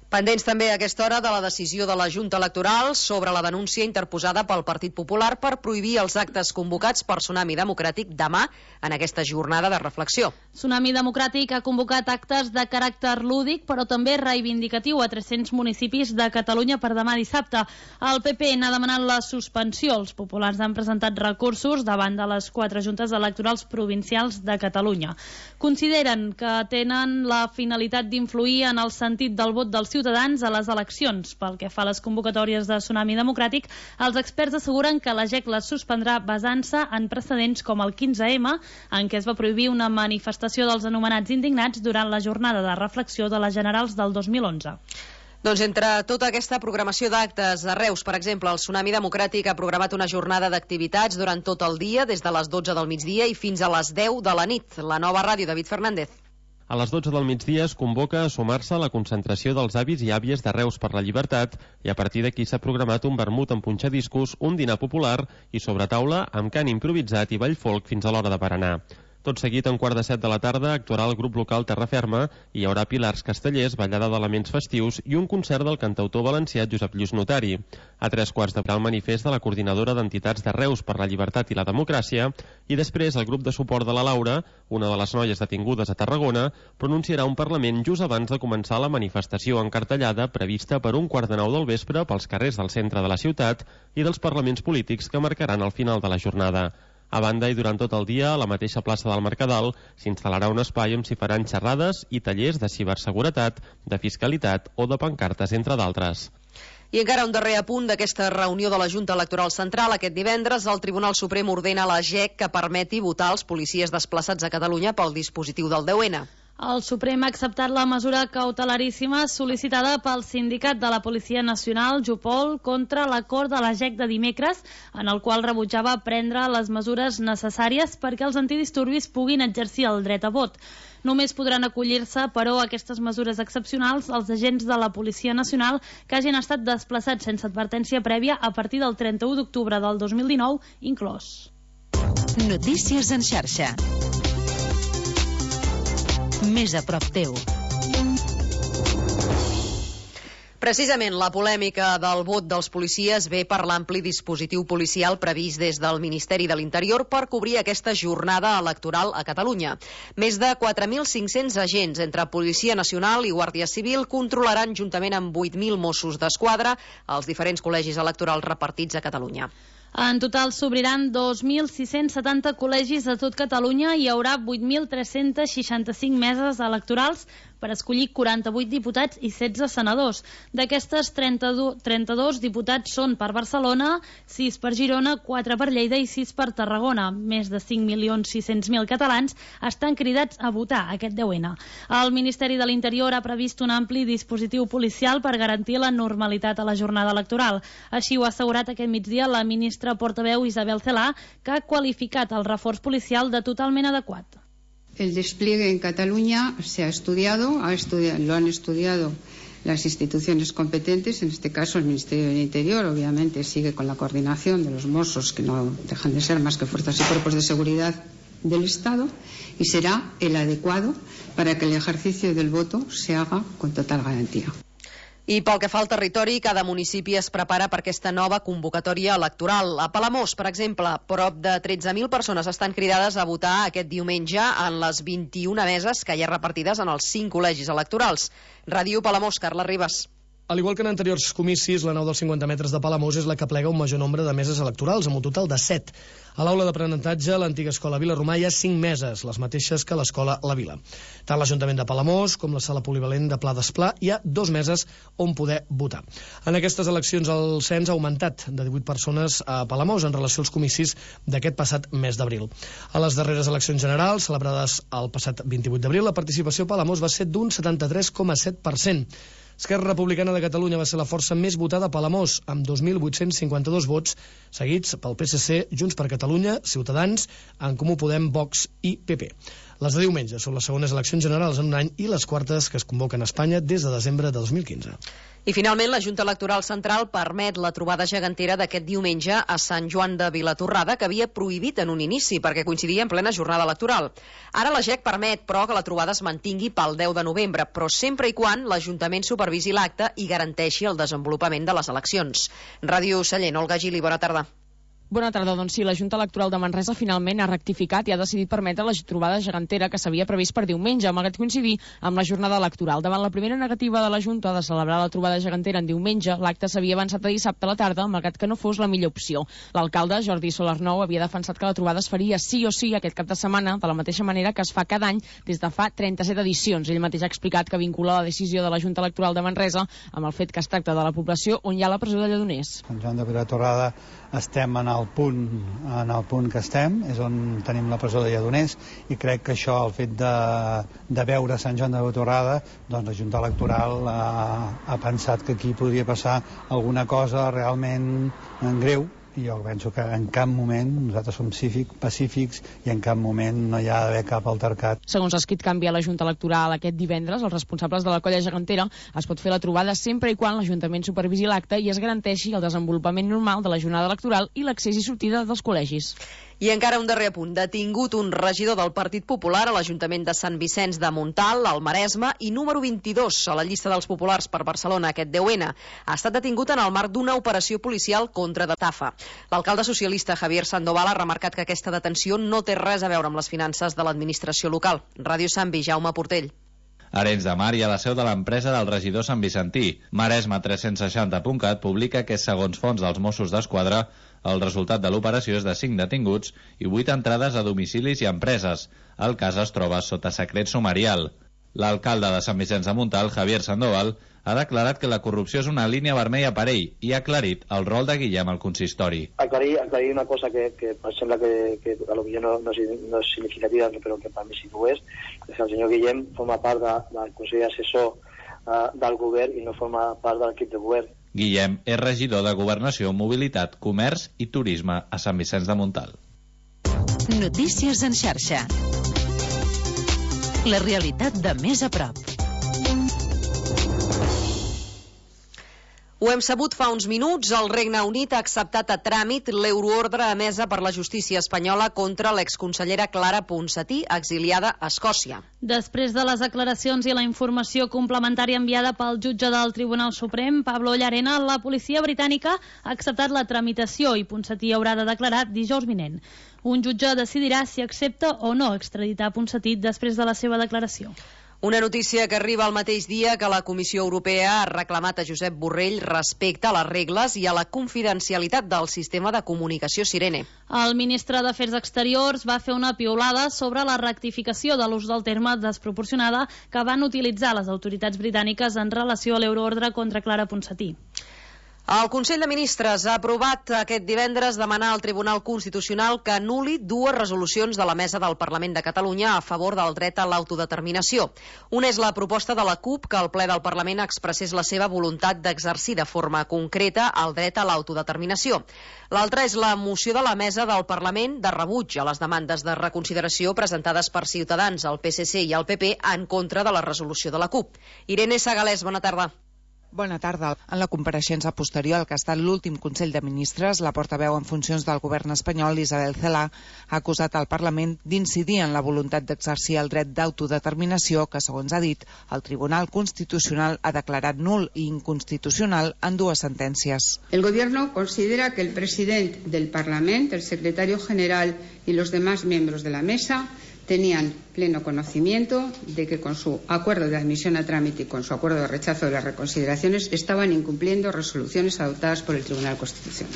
Pendents també a aquesta hora de la decisió de la Junta Electoral sobre la denúncia interposada pel Partit Popular per prohibir els actes convocats per Tsunami Democràtic demà en aquesta jornada de reflexió. Tsunami Democràtic ha convocat actes de caràcter lúdic, però també reivindicatiu a tres-cents municipis de Catalunya per demà dissabte. El P P n'ha demanat la suspensió. Els populars han presentat recursos davant de les quatre juntes electorals provincials de Catalunya. Consideren que tenen la finalitat d'influir en el sentit del vot dels ciutadans a les eleccions. Pel que fa a les convocatòries de Tsunami Democràtic, els experts asseguren que la G E C les suspendrà basant-se en precedents com el quinze eme, en què es va prohibir una manifestació dels anomenats indignats durant la jornada de reflexió de les generals del dos mil onze. Doncs entre tota aquesta programació d'actes a Reus, per exemple, el Tsunami Democràtic ha programat una jornada d'activitats durant tot el dia, des de les dotze del migdia i fins a les deu de la nit. La Nova Ràdio, David Fernández. A les dotze del migdia es convoca a sumar-se a la concentració dels avis i àvies de Reus per la Llibertat i a partir d'aquí s'ha programat un vermut amb punxadiscos, un dinar popular i sobre taula amb cant improvisat i ball folk fins a l'hora de berenar. Tot seguit, a un quart de set de la tarda, actuarà el grup local Terraferma i hi haurà pilars castellers, ballada d'elements festius i un concert del cantautor valencià Josep Lluís Notari. A tres quarts de el manifest de la Coordinadora d'Entitats de Reus per la Llibertat i la Democràcia i després el grup de suport de la Laura, una de les noies detingudes a Tarragona, pronunciarà un parlament just abans de començar la manifestació encartellada prevista per un quart de nou del vespre pels carrers del centre de la ciutat i dels parlaments polítics que marcaran el final de la jornada. A banda i durant tot el dia, a la mateixa plaça del Mercadal, s'instal·larà un espai on s'hi faran xerrades i tallers de ciberseguretat, de fiscalitat o de pancartes, entre d'altres. I I encara un darrer apunt d'aquesta reunió de la Junta Electoral Central. Aquest divendres el Tribunal Suprem ordena a la G E C que permeti votar els policies desplaçats a Catalunya pel dispositiu del deu ena. El Suprem ha acceptat la mesura cautelaríssima sol·licitada pel sindicat de la Policia Nacional, Jupol, contra l'acord de la G E C de dimecres, en el qual rebutjava prendre les mesures necessàries perquè els antidisturbis puguin exercir el dret a vot. Només podran acollir-se, però, a aquestes mesures excepcionals els agents de la Policia Nacional que hagin estat desplaçats sense advertència prèvia a partir del trenta-u d'octubre del dos mil dinou, inclòs. Notícies en xarxa. Més a prop teu. Precisament la polèmica del vot dels policies ve per l'ampli dispositiu policial previst des del Ministeri de l'Interior per cobrir aquesta jornada electoral a Catalunya. Més de quatre mil cinc-cents agents entre Policia Nacional i Guàrdia Civil controlaran juntament amb vuit mil Mossos d'Esquadra els diferents col·legis electorals repartits a Catalunya. En total s'obriran dos mil sis-cents setanta col·legis a tot Catalunya i hi haurà vuit mil tres-cents seixanta-cinc meses electorals per escollir quaranta-vuit diputats i setze senadors. D'aquestes, trenta-dos diputats són per Barcelona, sis per Girona, quatre per Lleida i sis per Tarragona. Més de cinc milions sis-cents mil catalans estan cridats a votar aquest deu ena. El Ministeri de l'Interior ha previst un ampli dispositiu policial per garantir la normalitat a la jornada electoral. Així ho ha assegurat aquest migdia la ministra portaveu Isabel Celaá, que ha qualificat el reforç policial de totalment adequat. El despliegue en Cataluña se ha estudiado, ha estudiado, lo han estudiado las instituciones competentes, en este caso el Ministerio del Interior, obviamente sigue con la coordinación de los Mossos, que no dejan de ser más que fuerzas y cuerpos de seguridad del Estado, y será el adecuado para que el ejercicio del voto se haga con total garantía. I pel que fa al territori, cada municipi es prepara per aquesta nova convocatòria electoral. A Palamós, per exemple, prop de tretze mil persones estan cridades a votar aquest diumenge en les vint-i-una meses que hi ha repartides en els cinc col·legis electorals. Ràdio Palamós, Carla Ribas. Al igual que en anteriors comicis, la nau dels cinquanta metres de Palamós és la que plega un major nombre de meses electorals, amb un total de set. A l'aula d'aprenentatge, l'antiga escola Vila Romà, hi ha cinc meses, les mateixes que l'escola La Vila. Tant l'Ajuntament de Palamós com la sala polivalent de Pla d'Esplà hi ha dos meses on poder votar. En aquestes eleccions el cens ha augmentat de divuit persones a Palamós en relació als comicis d'aquest passat mes d'abril. A les darreres eleccions generals, celebrades el passat vint-i-vuit d'abril, la participació a Palamós va ser d'un setanta-tres coma set per cent. Esquerra Republicana de Catalunya va ser la força més votada a Palamós, amb dos mil vuit-cents cinquanta-dos vots, seguits pel P S C, Junts per Catalunya, Ciutadans, En Comú Podem, Vox i P P. Les de diumenge són les segones eleccions generals en un any i les quartes que es convoquen a Espanya des de desembre de dos mil quinze. I finalment la Junta Electoral Central permet la trobada gegantera d'aquest diumenge a Sant Joan de Vilatorrada, que havia prohibit en un inici perquè coincidia en plena jornada electoral. Ara la G E C permet, però, que la trobada es mantingui pel deu de novembre, però sempre i quan l'Ajuntament supervisi l'acte i garanteixi el desenvolupament de les eleccions. Ràdio Sallent, Olga Gili, bona tarda. Bona tarda. Doncs sí, la Junta Electoral de Manresa finalment ha rectificat i ha decidit permetre la trobada gegantera que s'havia previst per diumenge, malgrat coincidir amb la jornada electoral. Davant la primera negativa de la Junta de celebrar la trobada gegantera en diumenge, l'acte s'havia avançat a dissabte a la tarda, malgrat que no fos la millor opció. L'alcalde, Jordi Solarnou, havia defensat que la trobada es faria sí o sí aquest cap de setmana, de la mateixa manera que es fa cada any des de fa trenta-set edicions. Ell mateix ha explicat que vincula la decisió de la Junta Electoral de Manresa amb el fet que es tracta de la població on hi ha la presó de Lledoners. Sant Joan de Vilatorrada estem en el punt en el punt que estem, és on tenim la presó de Lledoners, i crec que això, el fet de, de veure Sant Joan de Vilatorrada, doncs la Junta Electoral ha, ha pensat que aquí podria passar alguna cosa realment greu, i jo penso que en cap moment nosaltres som cívic, pacífics i en cap moment no hi ha d'haver cap altercat. Segons ha escrit canvi a la Junta Electoral aquest divendres, els responsables de la colla gegantera es pot fer la trobada sempre i quan l'Ajuntament supervisi l'acte i es garanteixi el desenvolupament normal de la jornada electoral i l'accés i sortida dels col·legis. I encara un darrer apunt. Detingut un regidor del Partit Popular a l'Ajuntament de Sant Vicenç de Montalt, al Maresme, i número vint-i-dos a la llista dels populars per Barcelona aquest deu ena. Ha estat detingut en el marc d'una operació policial contra d'estafa. L'alcalde socialista Javier Sandoval ha remarcat que aquesta detenció no té res a veure amb les finances de l'administració local. Ràdio Sambi, Jaume Portell. Arenys de Mar i a la seu de l'empresa del regidor Sant Vicentí. Maresme tres-cents seixanta punt cat publica que, segons fonts dels Mossos d'Esquadra, el resultat de l'operació és de cinc detinguts i vuit entrades a domicilis i empreses. El cas es troba sota secret sumarial. L'alcalde de Sant Vicenç de Montalt, Javier Sandoval, ha declarat que la corrupció és una línia vermella per ell i ha aclarit el rol de Guillem al consistori. Aclarir, aclarir una cosa que, que em sembla que, que a lo millor no, no, és, no és significativa, però que per mi sí que ho és, és que el senyor Guillem forma part de, del Consell Assessor uh, del govern i no forma part de l'equip de govern. Guillem és regidor de Governació, Mobilitat, Comerç i Turisme a Sant Vicenç de Montalt. Notícies en xarxa. La realitat de més a prop. Ho hem sabut fa uns minuts, el Regne Unit ha acceptat a tràmit l'euroordre emesa per la justícia espanyola contra l'exconsellera Clara Ponsatí, exiliada a Escòcia. Després de les declaracions i la informació complementària enviada pel jutge del Tribunal Suprem, Pablo Llarena, la policia britànica ha acceptat la tramitació i Ponsatí haurà de declarar dijous vinent. Un jutge decidirà si accepta o no extraditar Ponsatí després de la seva declaració. Una notícia que arriba el mateix dia que la Comissió Europea ha reclamat a Josep Borrell respecte a les regles i a la confidencialitat del sistema de comunicació Sirene. El ministre d'Afers Exteriors va fer una piulada sobre la rectificació de l'ús del terme desproporcionada que van utilitzar les autoritats britàniques en relació a l'euroordre contra Clara Ponsatí. El Consell de Ministres ha aprovat aquest divendres demanar al Tribunal Constitucional que anul·li dues resolucions de la Mesa del Parlament de Catalunya a favor del dret a l'autodeterminació. Una és la proposta de la CUP que el ple del Parlament expressés la seva voluntat d'exercir de forma concreta el dret a l'autodeterminació. L'altra és la moció de la Mesa del Parlament de rebuig a les demandes de reconsideració presentades per Ciutadans, el P S C i el P P en contra de la resolució de la CUP. Irene Sagalés, bona tarda. Bona tarda. En la compareixença posterior al que ha estat l'últim Consell de Ministres, la portaveu en funcions del govern espanyol, Isabel Celaá, ha acusat al Parlament d'incidir en la voluntat d'exercir el dret d'autodeterminació que, segons ha dit, el Tribunal Constitucional ha declarat nul i inconstitucional en dues sentències. El Gobierno considera que el presidente del Parlament, el secretario general y los demás miembros de la mesa tenían pleno conocimiento de que con su acuerdo de admisión a trámite y con su acuerdo de rechazo de las reconsideraciones estaban incumpliendo resoluciones adoptadas por el Tribunal Constitucional.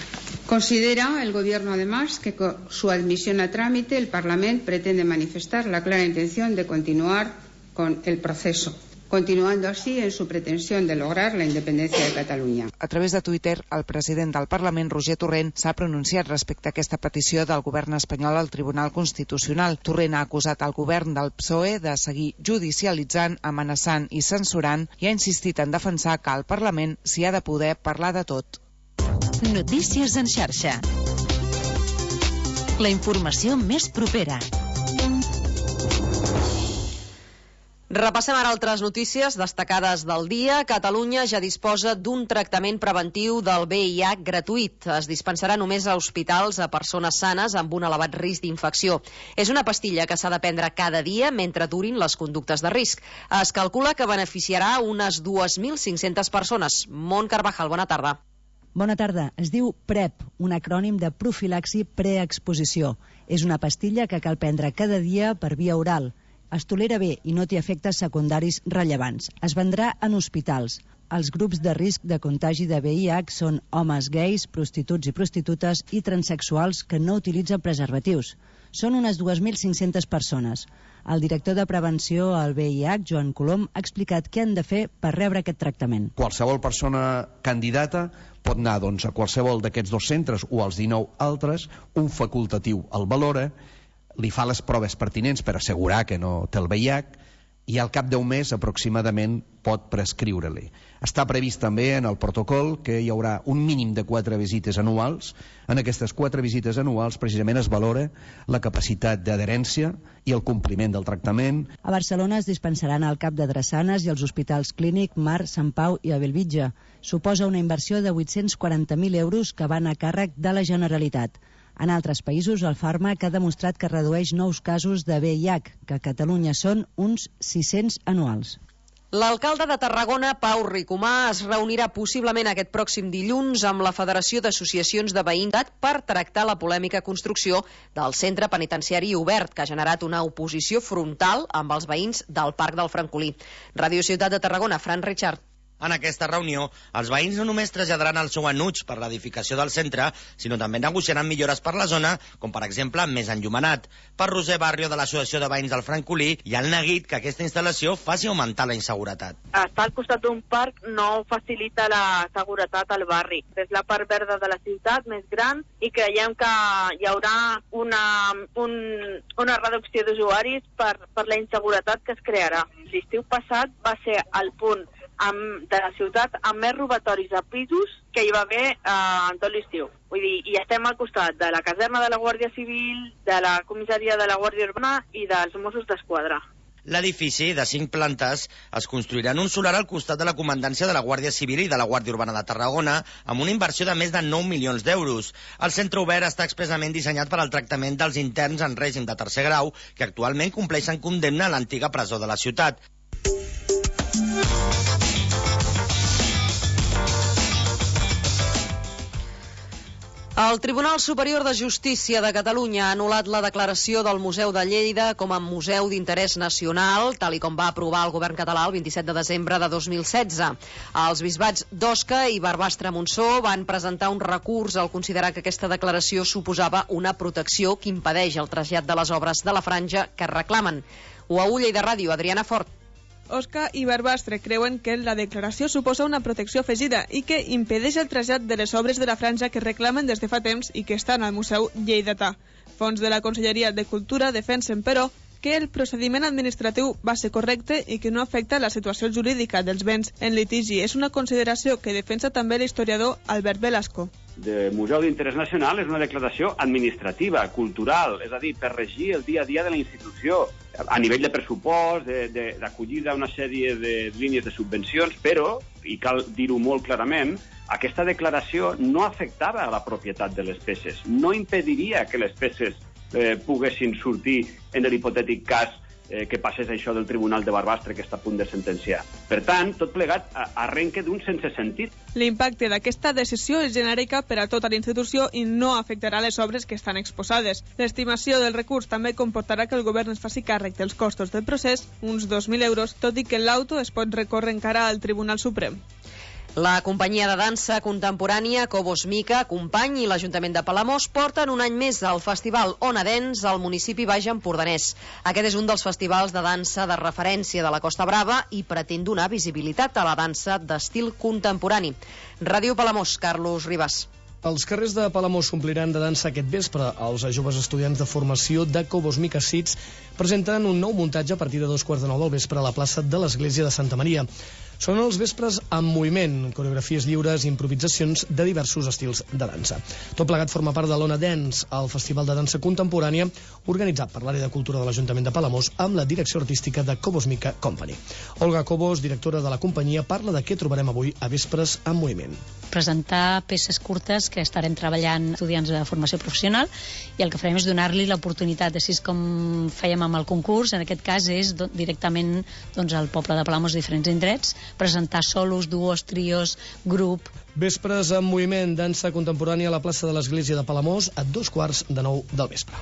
Considera el Gobierno además que con su admisión a trámite el Parlamento pretende manifestar la clara intención de continuar con el proceso, continuando así en su pretensión de lograr la independencia de Catalunya. A través de Twitter, el president del Parlament, Roger Torrent, s'ha pronunciat respecte a aquesta petició del govern espanyol al Tribunal Constitucional. Torrent ha acusat al govern del P S O E de seguir judicialitzant, amenaçant i censurant i ha insistit en defensar que al Parlament s'hi ha de poder parlar de tot. Notícies en xarxa. La informació més propera. Repassem ara altres notícies destacades del dia. Catalunya ja disposa d'un tractament preventiu del V I H gratuït. Es dispensarà només a hospitals a persones sanes amb un elevat risc d'infecció. És una pastilla que s'ha de prendre cada dia mentre durin les conductes de risc. Es calcula que beneficiarà unes dues mil cinc-centes persones. Mont Carvajal, bona tarda. Bona tarda. Es diu PrEP, un acrònim de profilaxi preexposició. És una pastilla que cal prendre cada dia per via oral. Es tolera bé i no té efectes secundaris rellevants. Es vendrà en hospitals. Els grups de risc de contagi de V I H són homes gais, prostituts i prostitutes i transexuals que no utilitzen preservatius. Són unes dues mil cinc-centes persones. El director de prevenció al V I H, Joan Colom, ha explicat què han de fer per rebre aquest tractament. Qualsevol persona candidata pot anar doncs, a qualsevol d'aquests dos centres o als dinou altres, un facultatiu el valora, li fa les proves pertinents per assegurar que no té el V I H i al cap d'un mes aproximadament pot prescriure-li. Està previst també en el protocol que hi haurà un mínim de quatre visites anuals. En aquestes quatre visites anuals precisament es valora la capacitat d'adherència i el compliment del tractament. A Barcelona es dispensaran al cap de Drassanes i als hospitals Clínic, Mar, Sant Pau i a Bellvitge. Suposa una inversió de vuit-cents quaranta mil euros que van a càrrec de la Generalitat. En altres països, el fàrmac ha demostrat que redueix nous casos de V I H, que a Catalunya són uns sis-cents anuals. L'alcalde de Tarragona, Pau Ricomà, es reunirà possiblement aquest pròxim dilluns amb la Federació d'Associacions de Veïnat per tractar la polèmica construcció del centre penitenciari obert, que ha generat una oposició frontal amb els veïns del Parc del Francolí. Ràdio Ciutat de Tarragona, Fran Richard. En aquesta reunió, els veïns no només traslladaran el seu enuig per l'edificació del centre, sinó també negociaran millores per la zona, com per exemple més enllumenat. Per Roser Barrio, de l'Associació de Veïns del Francolí, hi ha el neguit que aquesta instal·lació faci augmentar la inseguretat. Estar al costat d'un parc no facilita la seguretat al barri. És la part verda de la ciutat més gran i creiem que hi haurà una, un, una reducció d'usuaris per, per la inseguretat que es crearà. L'estiu passat va ser el punt amb, de la ciutat amb més robatoris a pisos que hi va haver eh, en tot l'estiu. Vull dir, i estem al costat de la caserna de la Guàrdia Civil, de la comissaria de la Guàrdia Urbana i dels Mossos d'Esquadra. L'edifici, de cinc plantes, es construirà en un solar al costat de la comandància de la Guàrdia Civil i de la Guàrdia Urbana de Tarragona, amb una inversió de més de nou milions d'euros. El centre obert està expressament dissenyat per al tractament dels interns en règim de tercer grau, que actualment compleixen condemna a l'antiga presó de la ciutat. El Tribunal Superior de Justícia de Catalunya ha anul·lat la declaració del Museu de Lleida com a museu d'interès nacional, tal i com va aprovar el govern català el vint-i-set de desembre de dos mil setze. Els bisbats d'Osca i Barbastre-Montsó van presentar un recurs al considerar que aquesta declaració suposava una protecció que impedeix el trasllat de les obres de la franja que reclamen. U A U Lleida Ràdio, Adriana Fort. Osca i Barbastre creuen que la declaració suposa una protecció afegida i que impedeix el trasllat de les obres de la franja que reclamen des de fa temps i que estan al Museu Lleidatà. Fons de la Conselleria de Cultura defensen, però, que el procediment administratiu va ser correcte i que no afecta la situació jurídica dels béns en litigi. És una consideració que defensa també l'historiador Albert Velasco. De Museu d'Interès Nacional és una declaració administrativa, cultural, és a dir, per regir el dia a dia de la institució, a nivell de pressupost, d'acollida a una sèrie de línies de subvencions, però, i cal dir-ho molt clarament, aquesta declaració no afectava a la propietat de les peces, no impediria que les peces eh, poguessin sortir en l'hipotètic cas eh, que passés això del Tribunal de Barbastre que està a punt de sentenciar. Per tant, tot plegat arrenca d'un sense sentit. L'impacte d'aquesta decisió és genèrica per a tota la institució i no afectarà les obres que estan exposades. L'estimació del recurs també comportarà que el govern es faci càrrec dels costos del procés, uns dos mil euros, tot i que l'auto es pot recórrer encara al Tribunal Suprem. La companyia de dansa contemporània Cobos Mica, Company i l'Ajuntament de Palamós porten un any més al Festival Ona Dance al municipi baix empordanès. Aquest és un dels festivals de dansa de referència de la Costa Brava i pretén donar visibilitat a la dansa d'estil contemporani. Ràdio Palamós, Carlos Ribas. Els carrers de Palamós s'ompliran de dansa aquest vespre. Els joves estudiants de formació de Cobos Mica Sits presenten un nou muntatge a partir de dos quarts de nou del vespre a la plaça de l'Església de Santa Maria. Són els vespres amb moviment, coreografies lliures i improvisacions de diversos estils de dansa. Tot plegat forma part de l'Ona Dance, el festival de dansa contemporània organitzat per l'àrea de cultura de l'Ajuntament de Palamós amb la direcció artística de Cobos Mica Company. Olga Cobos, directora de la companyia, parla de què trobarem avui a Vespres amb moviment. Presentar peces curtes que estarem treballant estudiants de formació professional i el que farem és donar-li l'oportunitat, així com fèiem amb el concurs, en aquest cas és directament doncs, al poble de Palamós, diferents indrets, presentar solos, duos, trios, grup. Vespres amb moviment, dansa contemporània a la plaça de l'Església de Palamós a dos quarts de nou del vespre.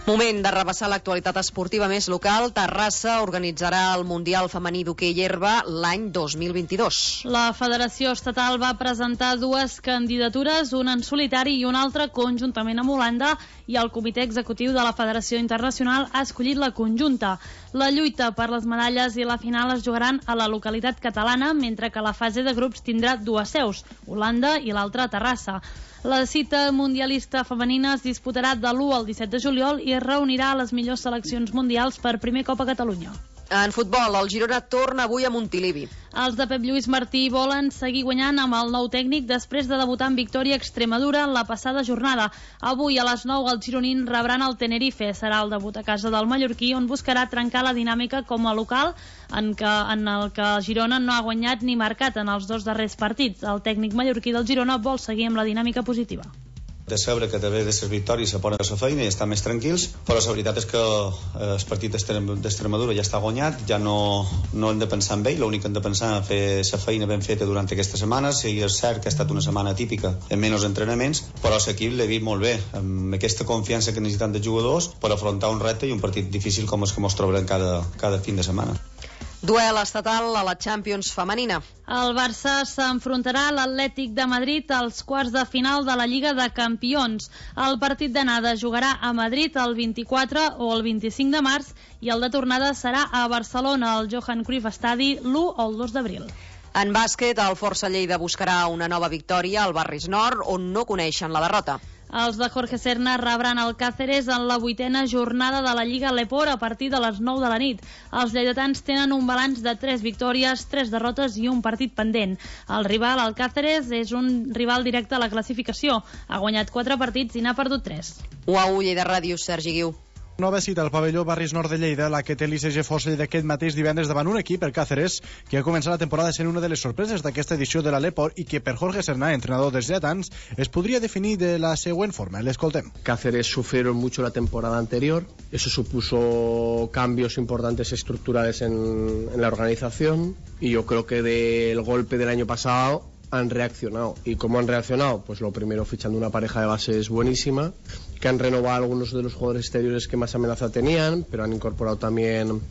Moment de repassar l'actualitat esportiva més local. Terrassa organitzarà el Mundial Femení d'Hoquei Herba l'any dos mil vint-i-dos. La Federació Estatal va presentar dues candidatures, una en solitari i una altra conjuntament amb Holanda, i el Comitè Executiu de la Federació Internacional ha escollit la conjunta. La lluita per les medalles i la final es jugaran a la localitat catalana, mentre que la fase de grups tindrà dues seus, Holanda i l'altra a Terrassa. La cita mundialista femenina es disputarà de l'u al disset de juliol i es reunirà a les millors seleccions mundials per primer cop a Catalunya. En futbol, el Girona torna avui a Montilivi. Els de Pep Lluís Martí volen seguir guanyant amb el nou tècnic després de debutar en victòria a Extremadura en la passada jornada. Avui a les nou els gironins rebran el Tenerife. Serà el debut a casa del mallorquí, on buscarà trencar la dinàmica com a local en, que, en el que el Girona no ha guanyat ni marcat en els dos darrers partits. El tècnic mallorquí del Girona vol seguir amb la dinàmica positiva. de saber que a través de les victòries se ponen a la feina i estan més tranquils, però la veritat és que el partit d'Extremadura ja està guanyat, ja no, no hem de pensar en ell, l'únic que hem de pensar en fer la feina ben feta durant aquesta setmana. Sí, és cert que ha estat una setmana típica en menys entrenaments, però l'equip l'he vist molt bé, amb aquesta confiança que necessitem dels jugadors per afrontar un repte i un partit difícil com els que ens trobarem cada, cada fin de setmana. Duel estatal a la Champions femenina. El Barça s'enfrontarà a l'Atlètic de Madrid als quarts de final de la Lliga de Campions. El partit d'anada jugarà a Madrid el vint-i-quatre o el vint-i-cinc de març i el de tornada serà a Barcelona, al Johan Cruyff Stadi, l'u o el dos d'abril. En bàsquet, el Força Lleida buscarà una nova victòria al Barris Nord, on no coneixen la derrota. Els de Jorge Serna rebran el Cáceres en la vuitena jornada de la Lliga Leport a partir de les nou de la nit. Els lleidatans tenen un balanç de tres victòries, tres derrotes i un partit pendent. El rival, el Cáceres, és un rival directe a la classificació. Ha guanyat quatre partits i n'ha perdut tres. U A U Lleida Ràdio, Sergi Guiu. Nova cita al pavelló Barris Nord de Lleida, la que té l'I C G Força Lleida aquest mateix divendres davant un equip, el Cáceres, que ha començat la temporada sent una de les sorpreses d'aquesta edició de la Leport i que per Jorge Serna, entrenador dels lleidatans, es podria definir de la següent forma. L'escoltem. Cáceres sufrieron mucho la temporada anterior, eso supuso cambios importantes estructurales en, en la organización y yo creo que del golpe del año pasado han reaccionado. ¿Y cómo han reaccionado? Pues lo primero fichando una pareja de bases buenísima, que han renovado algunos de los jugadores exteriores que más amenaza tenían, pero han incorporado también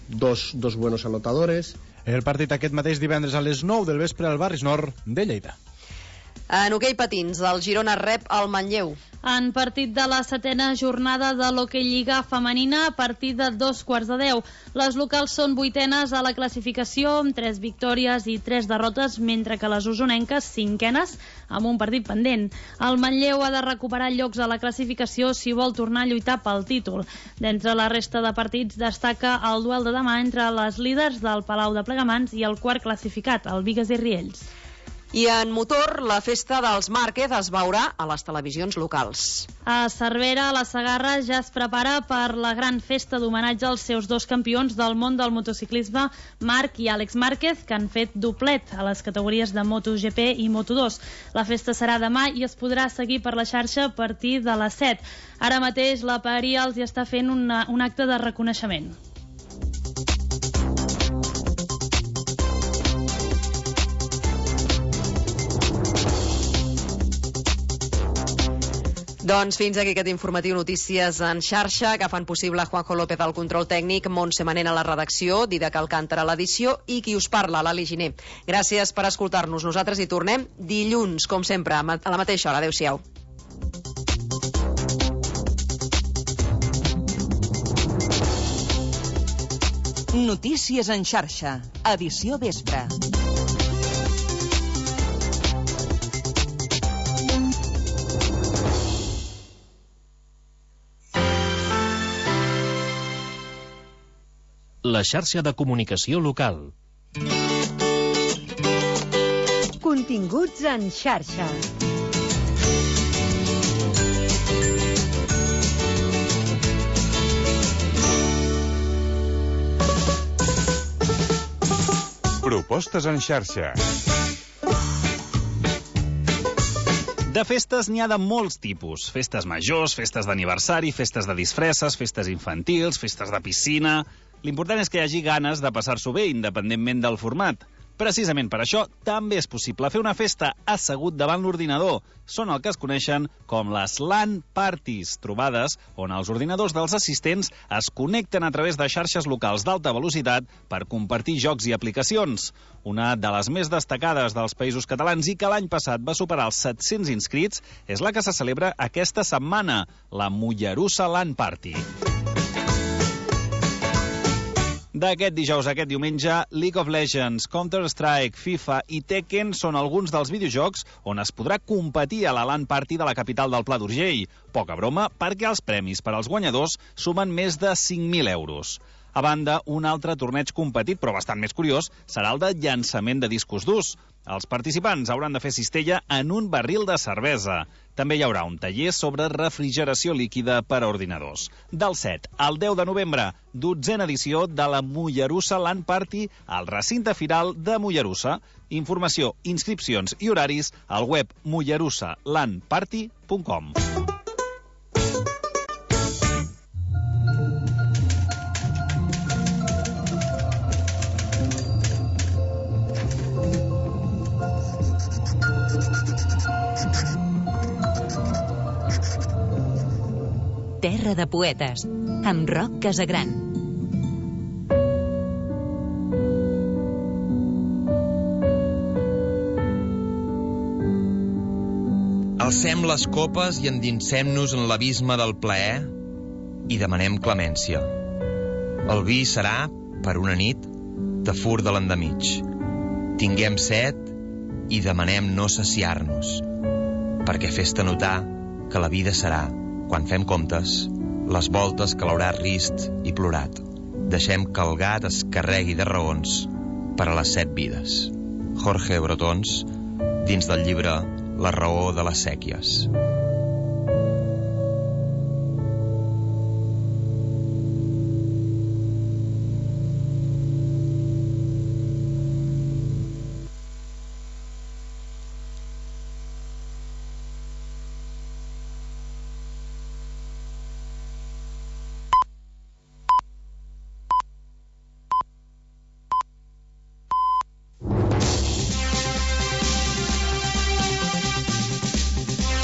dos, dos buenos anotadores. El partit aquest mateix divendres a les nou del vespre al Barris Nord de Lleida. En hoquei patins, el Girona rep el Manlleu. En partit de la setena jornada de l'Hoquei Lliga femenina a partir de dos quarts de deu. Les locals són vuitenes a la classificació amb tres victòries i tres derrotes, mentre que les usonenques cinquenes amb un partit pendent. El Manlleu ha de recuperar llocs a la classificació si vol tornar a lluitar pel títol. D'entre la resta de partits destaca el duel de demà entre les líders del Palau de Plegamans i el quart classificat, el Bigues i Riells. I en motor, la festa dels Márquez es veurà a les televisions locals. A Cervera, la Segarra ja es prepara per la gran festa d'homenatge als seus dos campions del món del motociclisme, Marc i Àlex Márquez, que han fet doblet a les categories de MotoGP i Moto dos. La festa serà demà i es podrà seguir per la xarxa a partir de les set. Ara mateix la Paeria els hi està fent una, un acte de reconeixement. Doncs fins aquí aquest informatiu Notícies en xarxa que fan possible Juanjo López al control tècnic, Montse Manent a la redacció, Didac Alcántara a l'edició i qui us parla, Lali Giner. Gràcies per escoltar-nos. Nosaltres hi tornem dilluns, com sempre, a la mateixa hora. Adéu-siau. Notícies en xarxa, edició vespre. La xarxa de comunicació local. Continguts en xarxa. Propostes en xarxa. De festes n'hi ha de molts tipus. Festes majors, festes d'aniversari, festes de disfresses, festes infantils, festes de piscina... L'important és que hi hagi ganes de passar-s'ho bé, independentment del format. Precisament per això, també és possible fer una festa assegut davant l'ordinador. Són el que es coneixen com les LAN Parties, trobades on els ordinadors dels assistents es connecten a través de xarxes locals d'alta velocitat per compartir jocs i aplicacions. Una de les més destacades dels Països Catalans i que l'any passat va superar els set-cents inscrits és la que se celebra aquesta setmana, la Mollerussa LAN Party. D'aquest dijous a aquest diumenge, League of Legends, Counter-Strike, FIFA i Tekken són alguns dels videojocs on es podrà competir a la LAN Party de la capital del Pla d'Urgell. Poca broma, perquè els premis per als guanyadors sumen més de cinc mil euros. A banda, un altre torneig competit, però bastant més curiós, serà el de llançament de discos durs. Els participants hauran de fer cistella en un barril de cervesa. També hi haurà un taller sobre refrigeració líquida per a ordinadors. Del set al deu de novembre, dotzena edició de la Mollerussa LAN Party al recinte firal de Mollerussa. Informació, inscripcions i horaris al web mollerussa lan party punt com. Terra de poetes, amb Roc Casagran. Alcem les copes i endinsem-nos en l'abisme del plaer i demanem clemència. El vi serà, per una nit, de fur de l'endemig. Tinguem set i demanem no saciar-nos, perquè fes-te notar que la vida serà, quan fem comptes, les voltes que l'haurà rist i plorat. Deixem que el gat es carregui de raons per a les set vides. Jorge Brotons, dins del llibre La raó de les sèquies.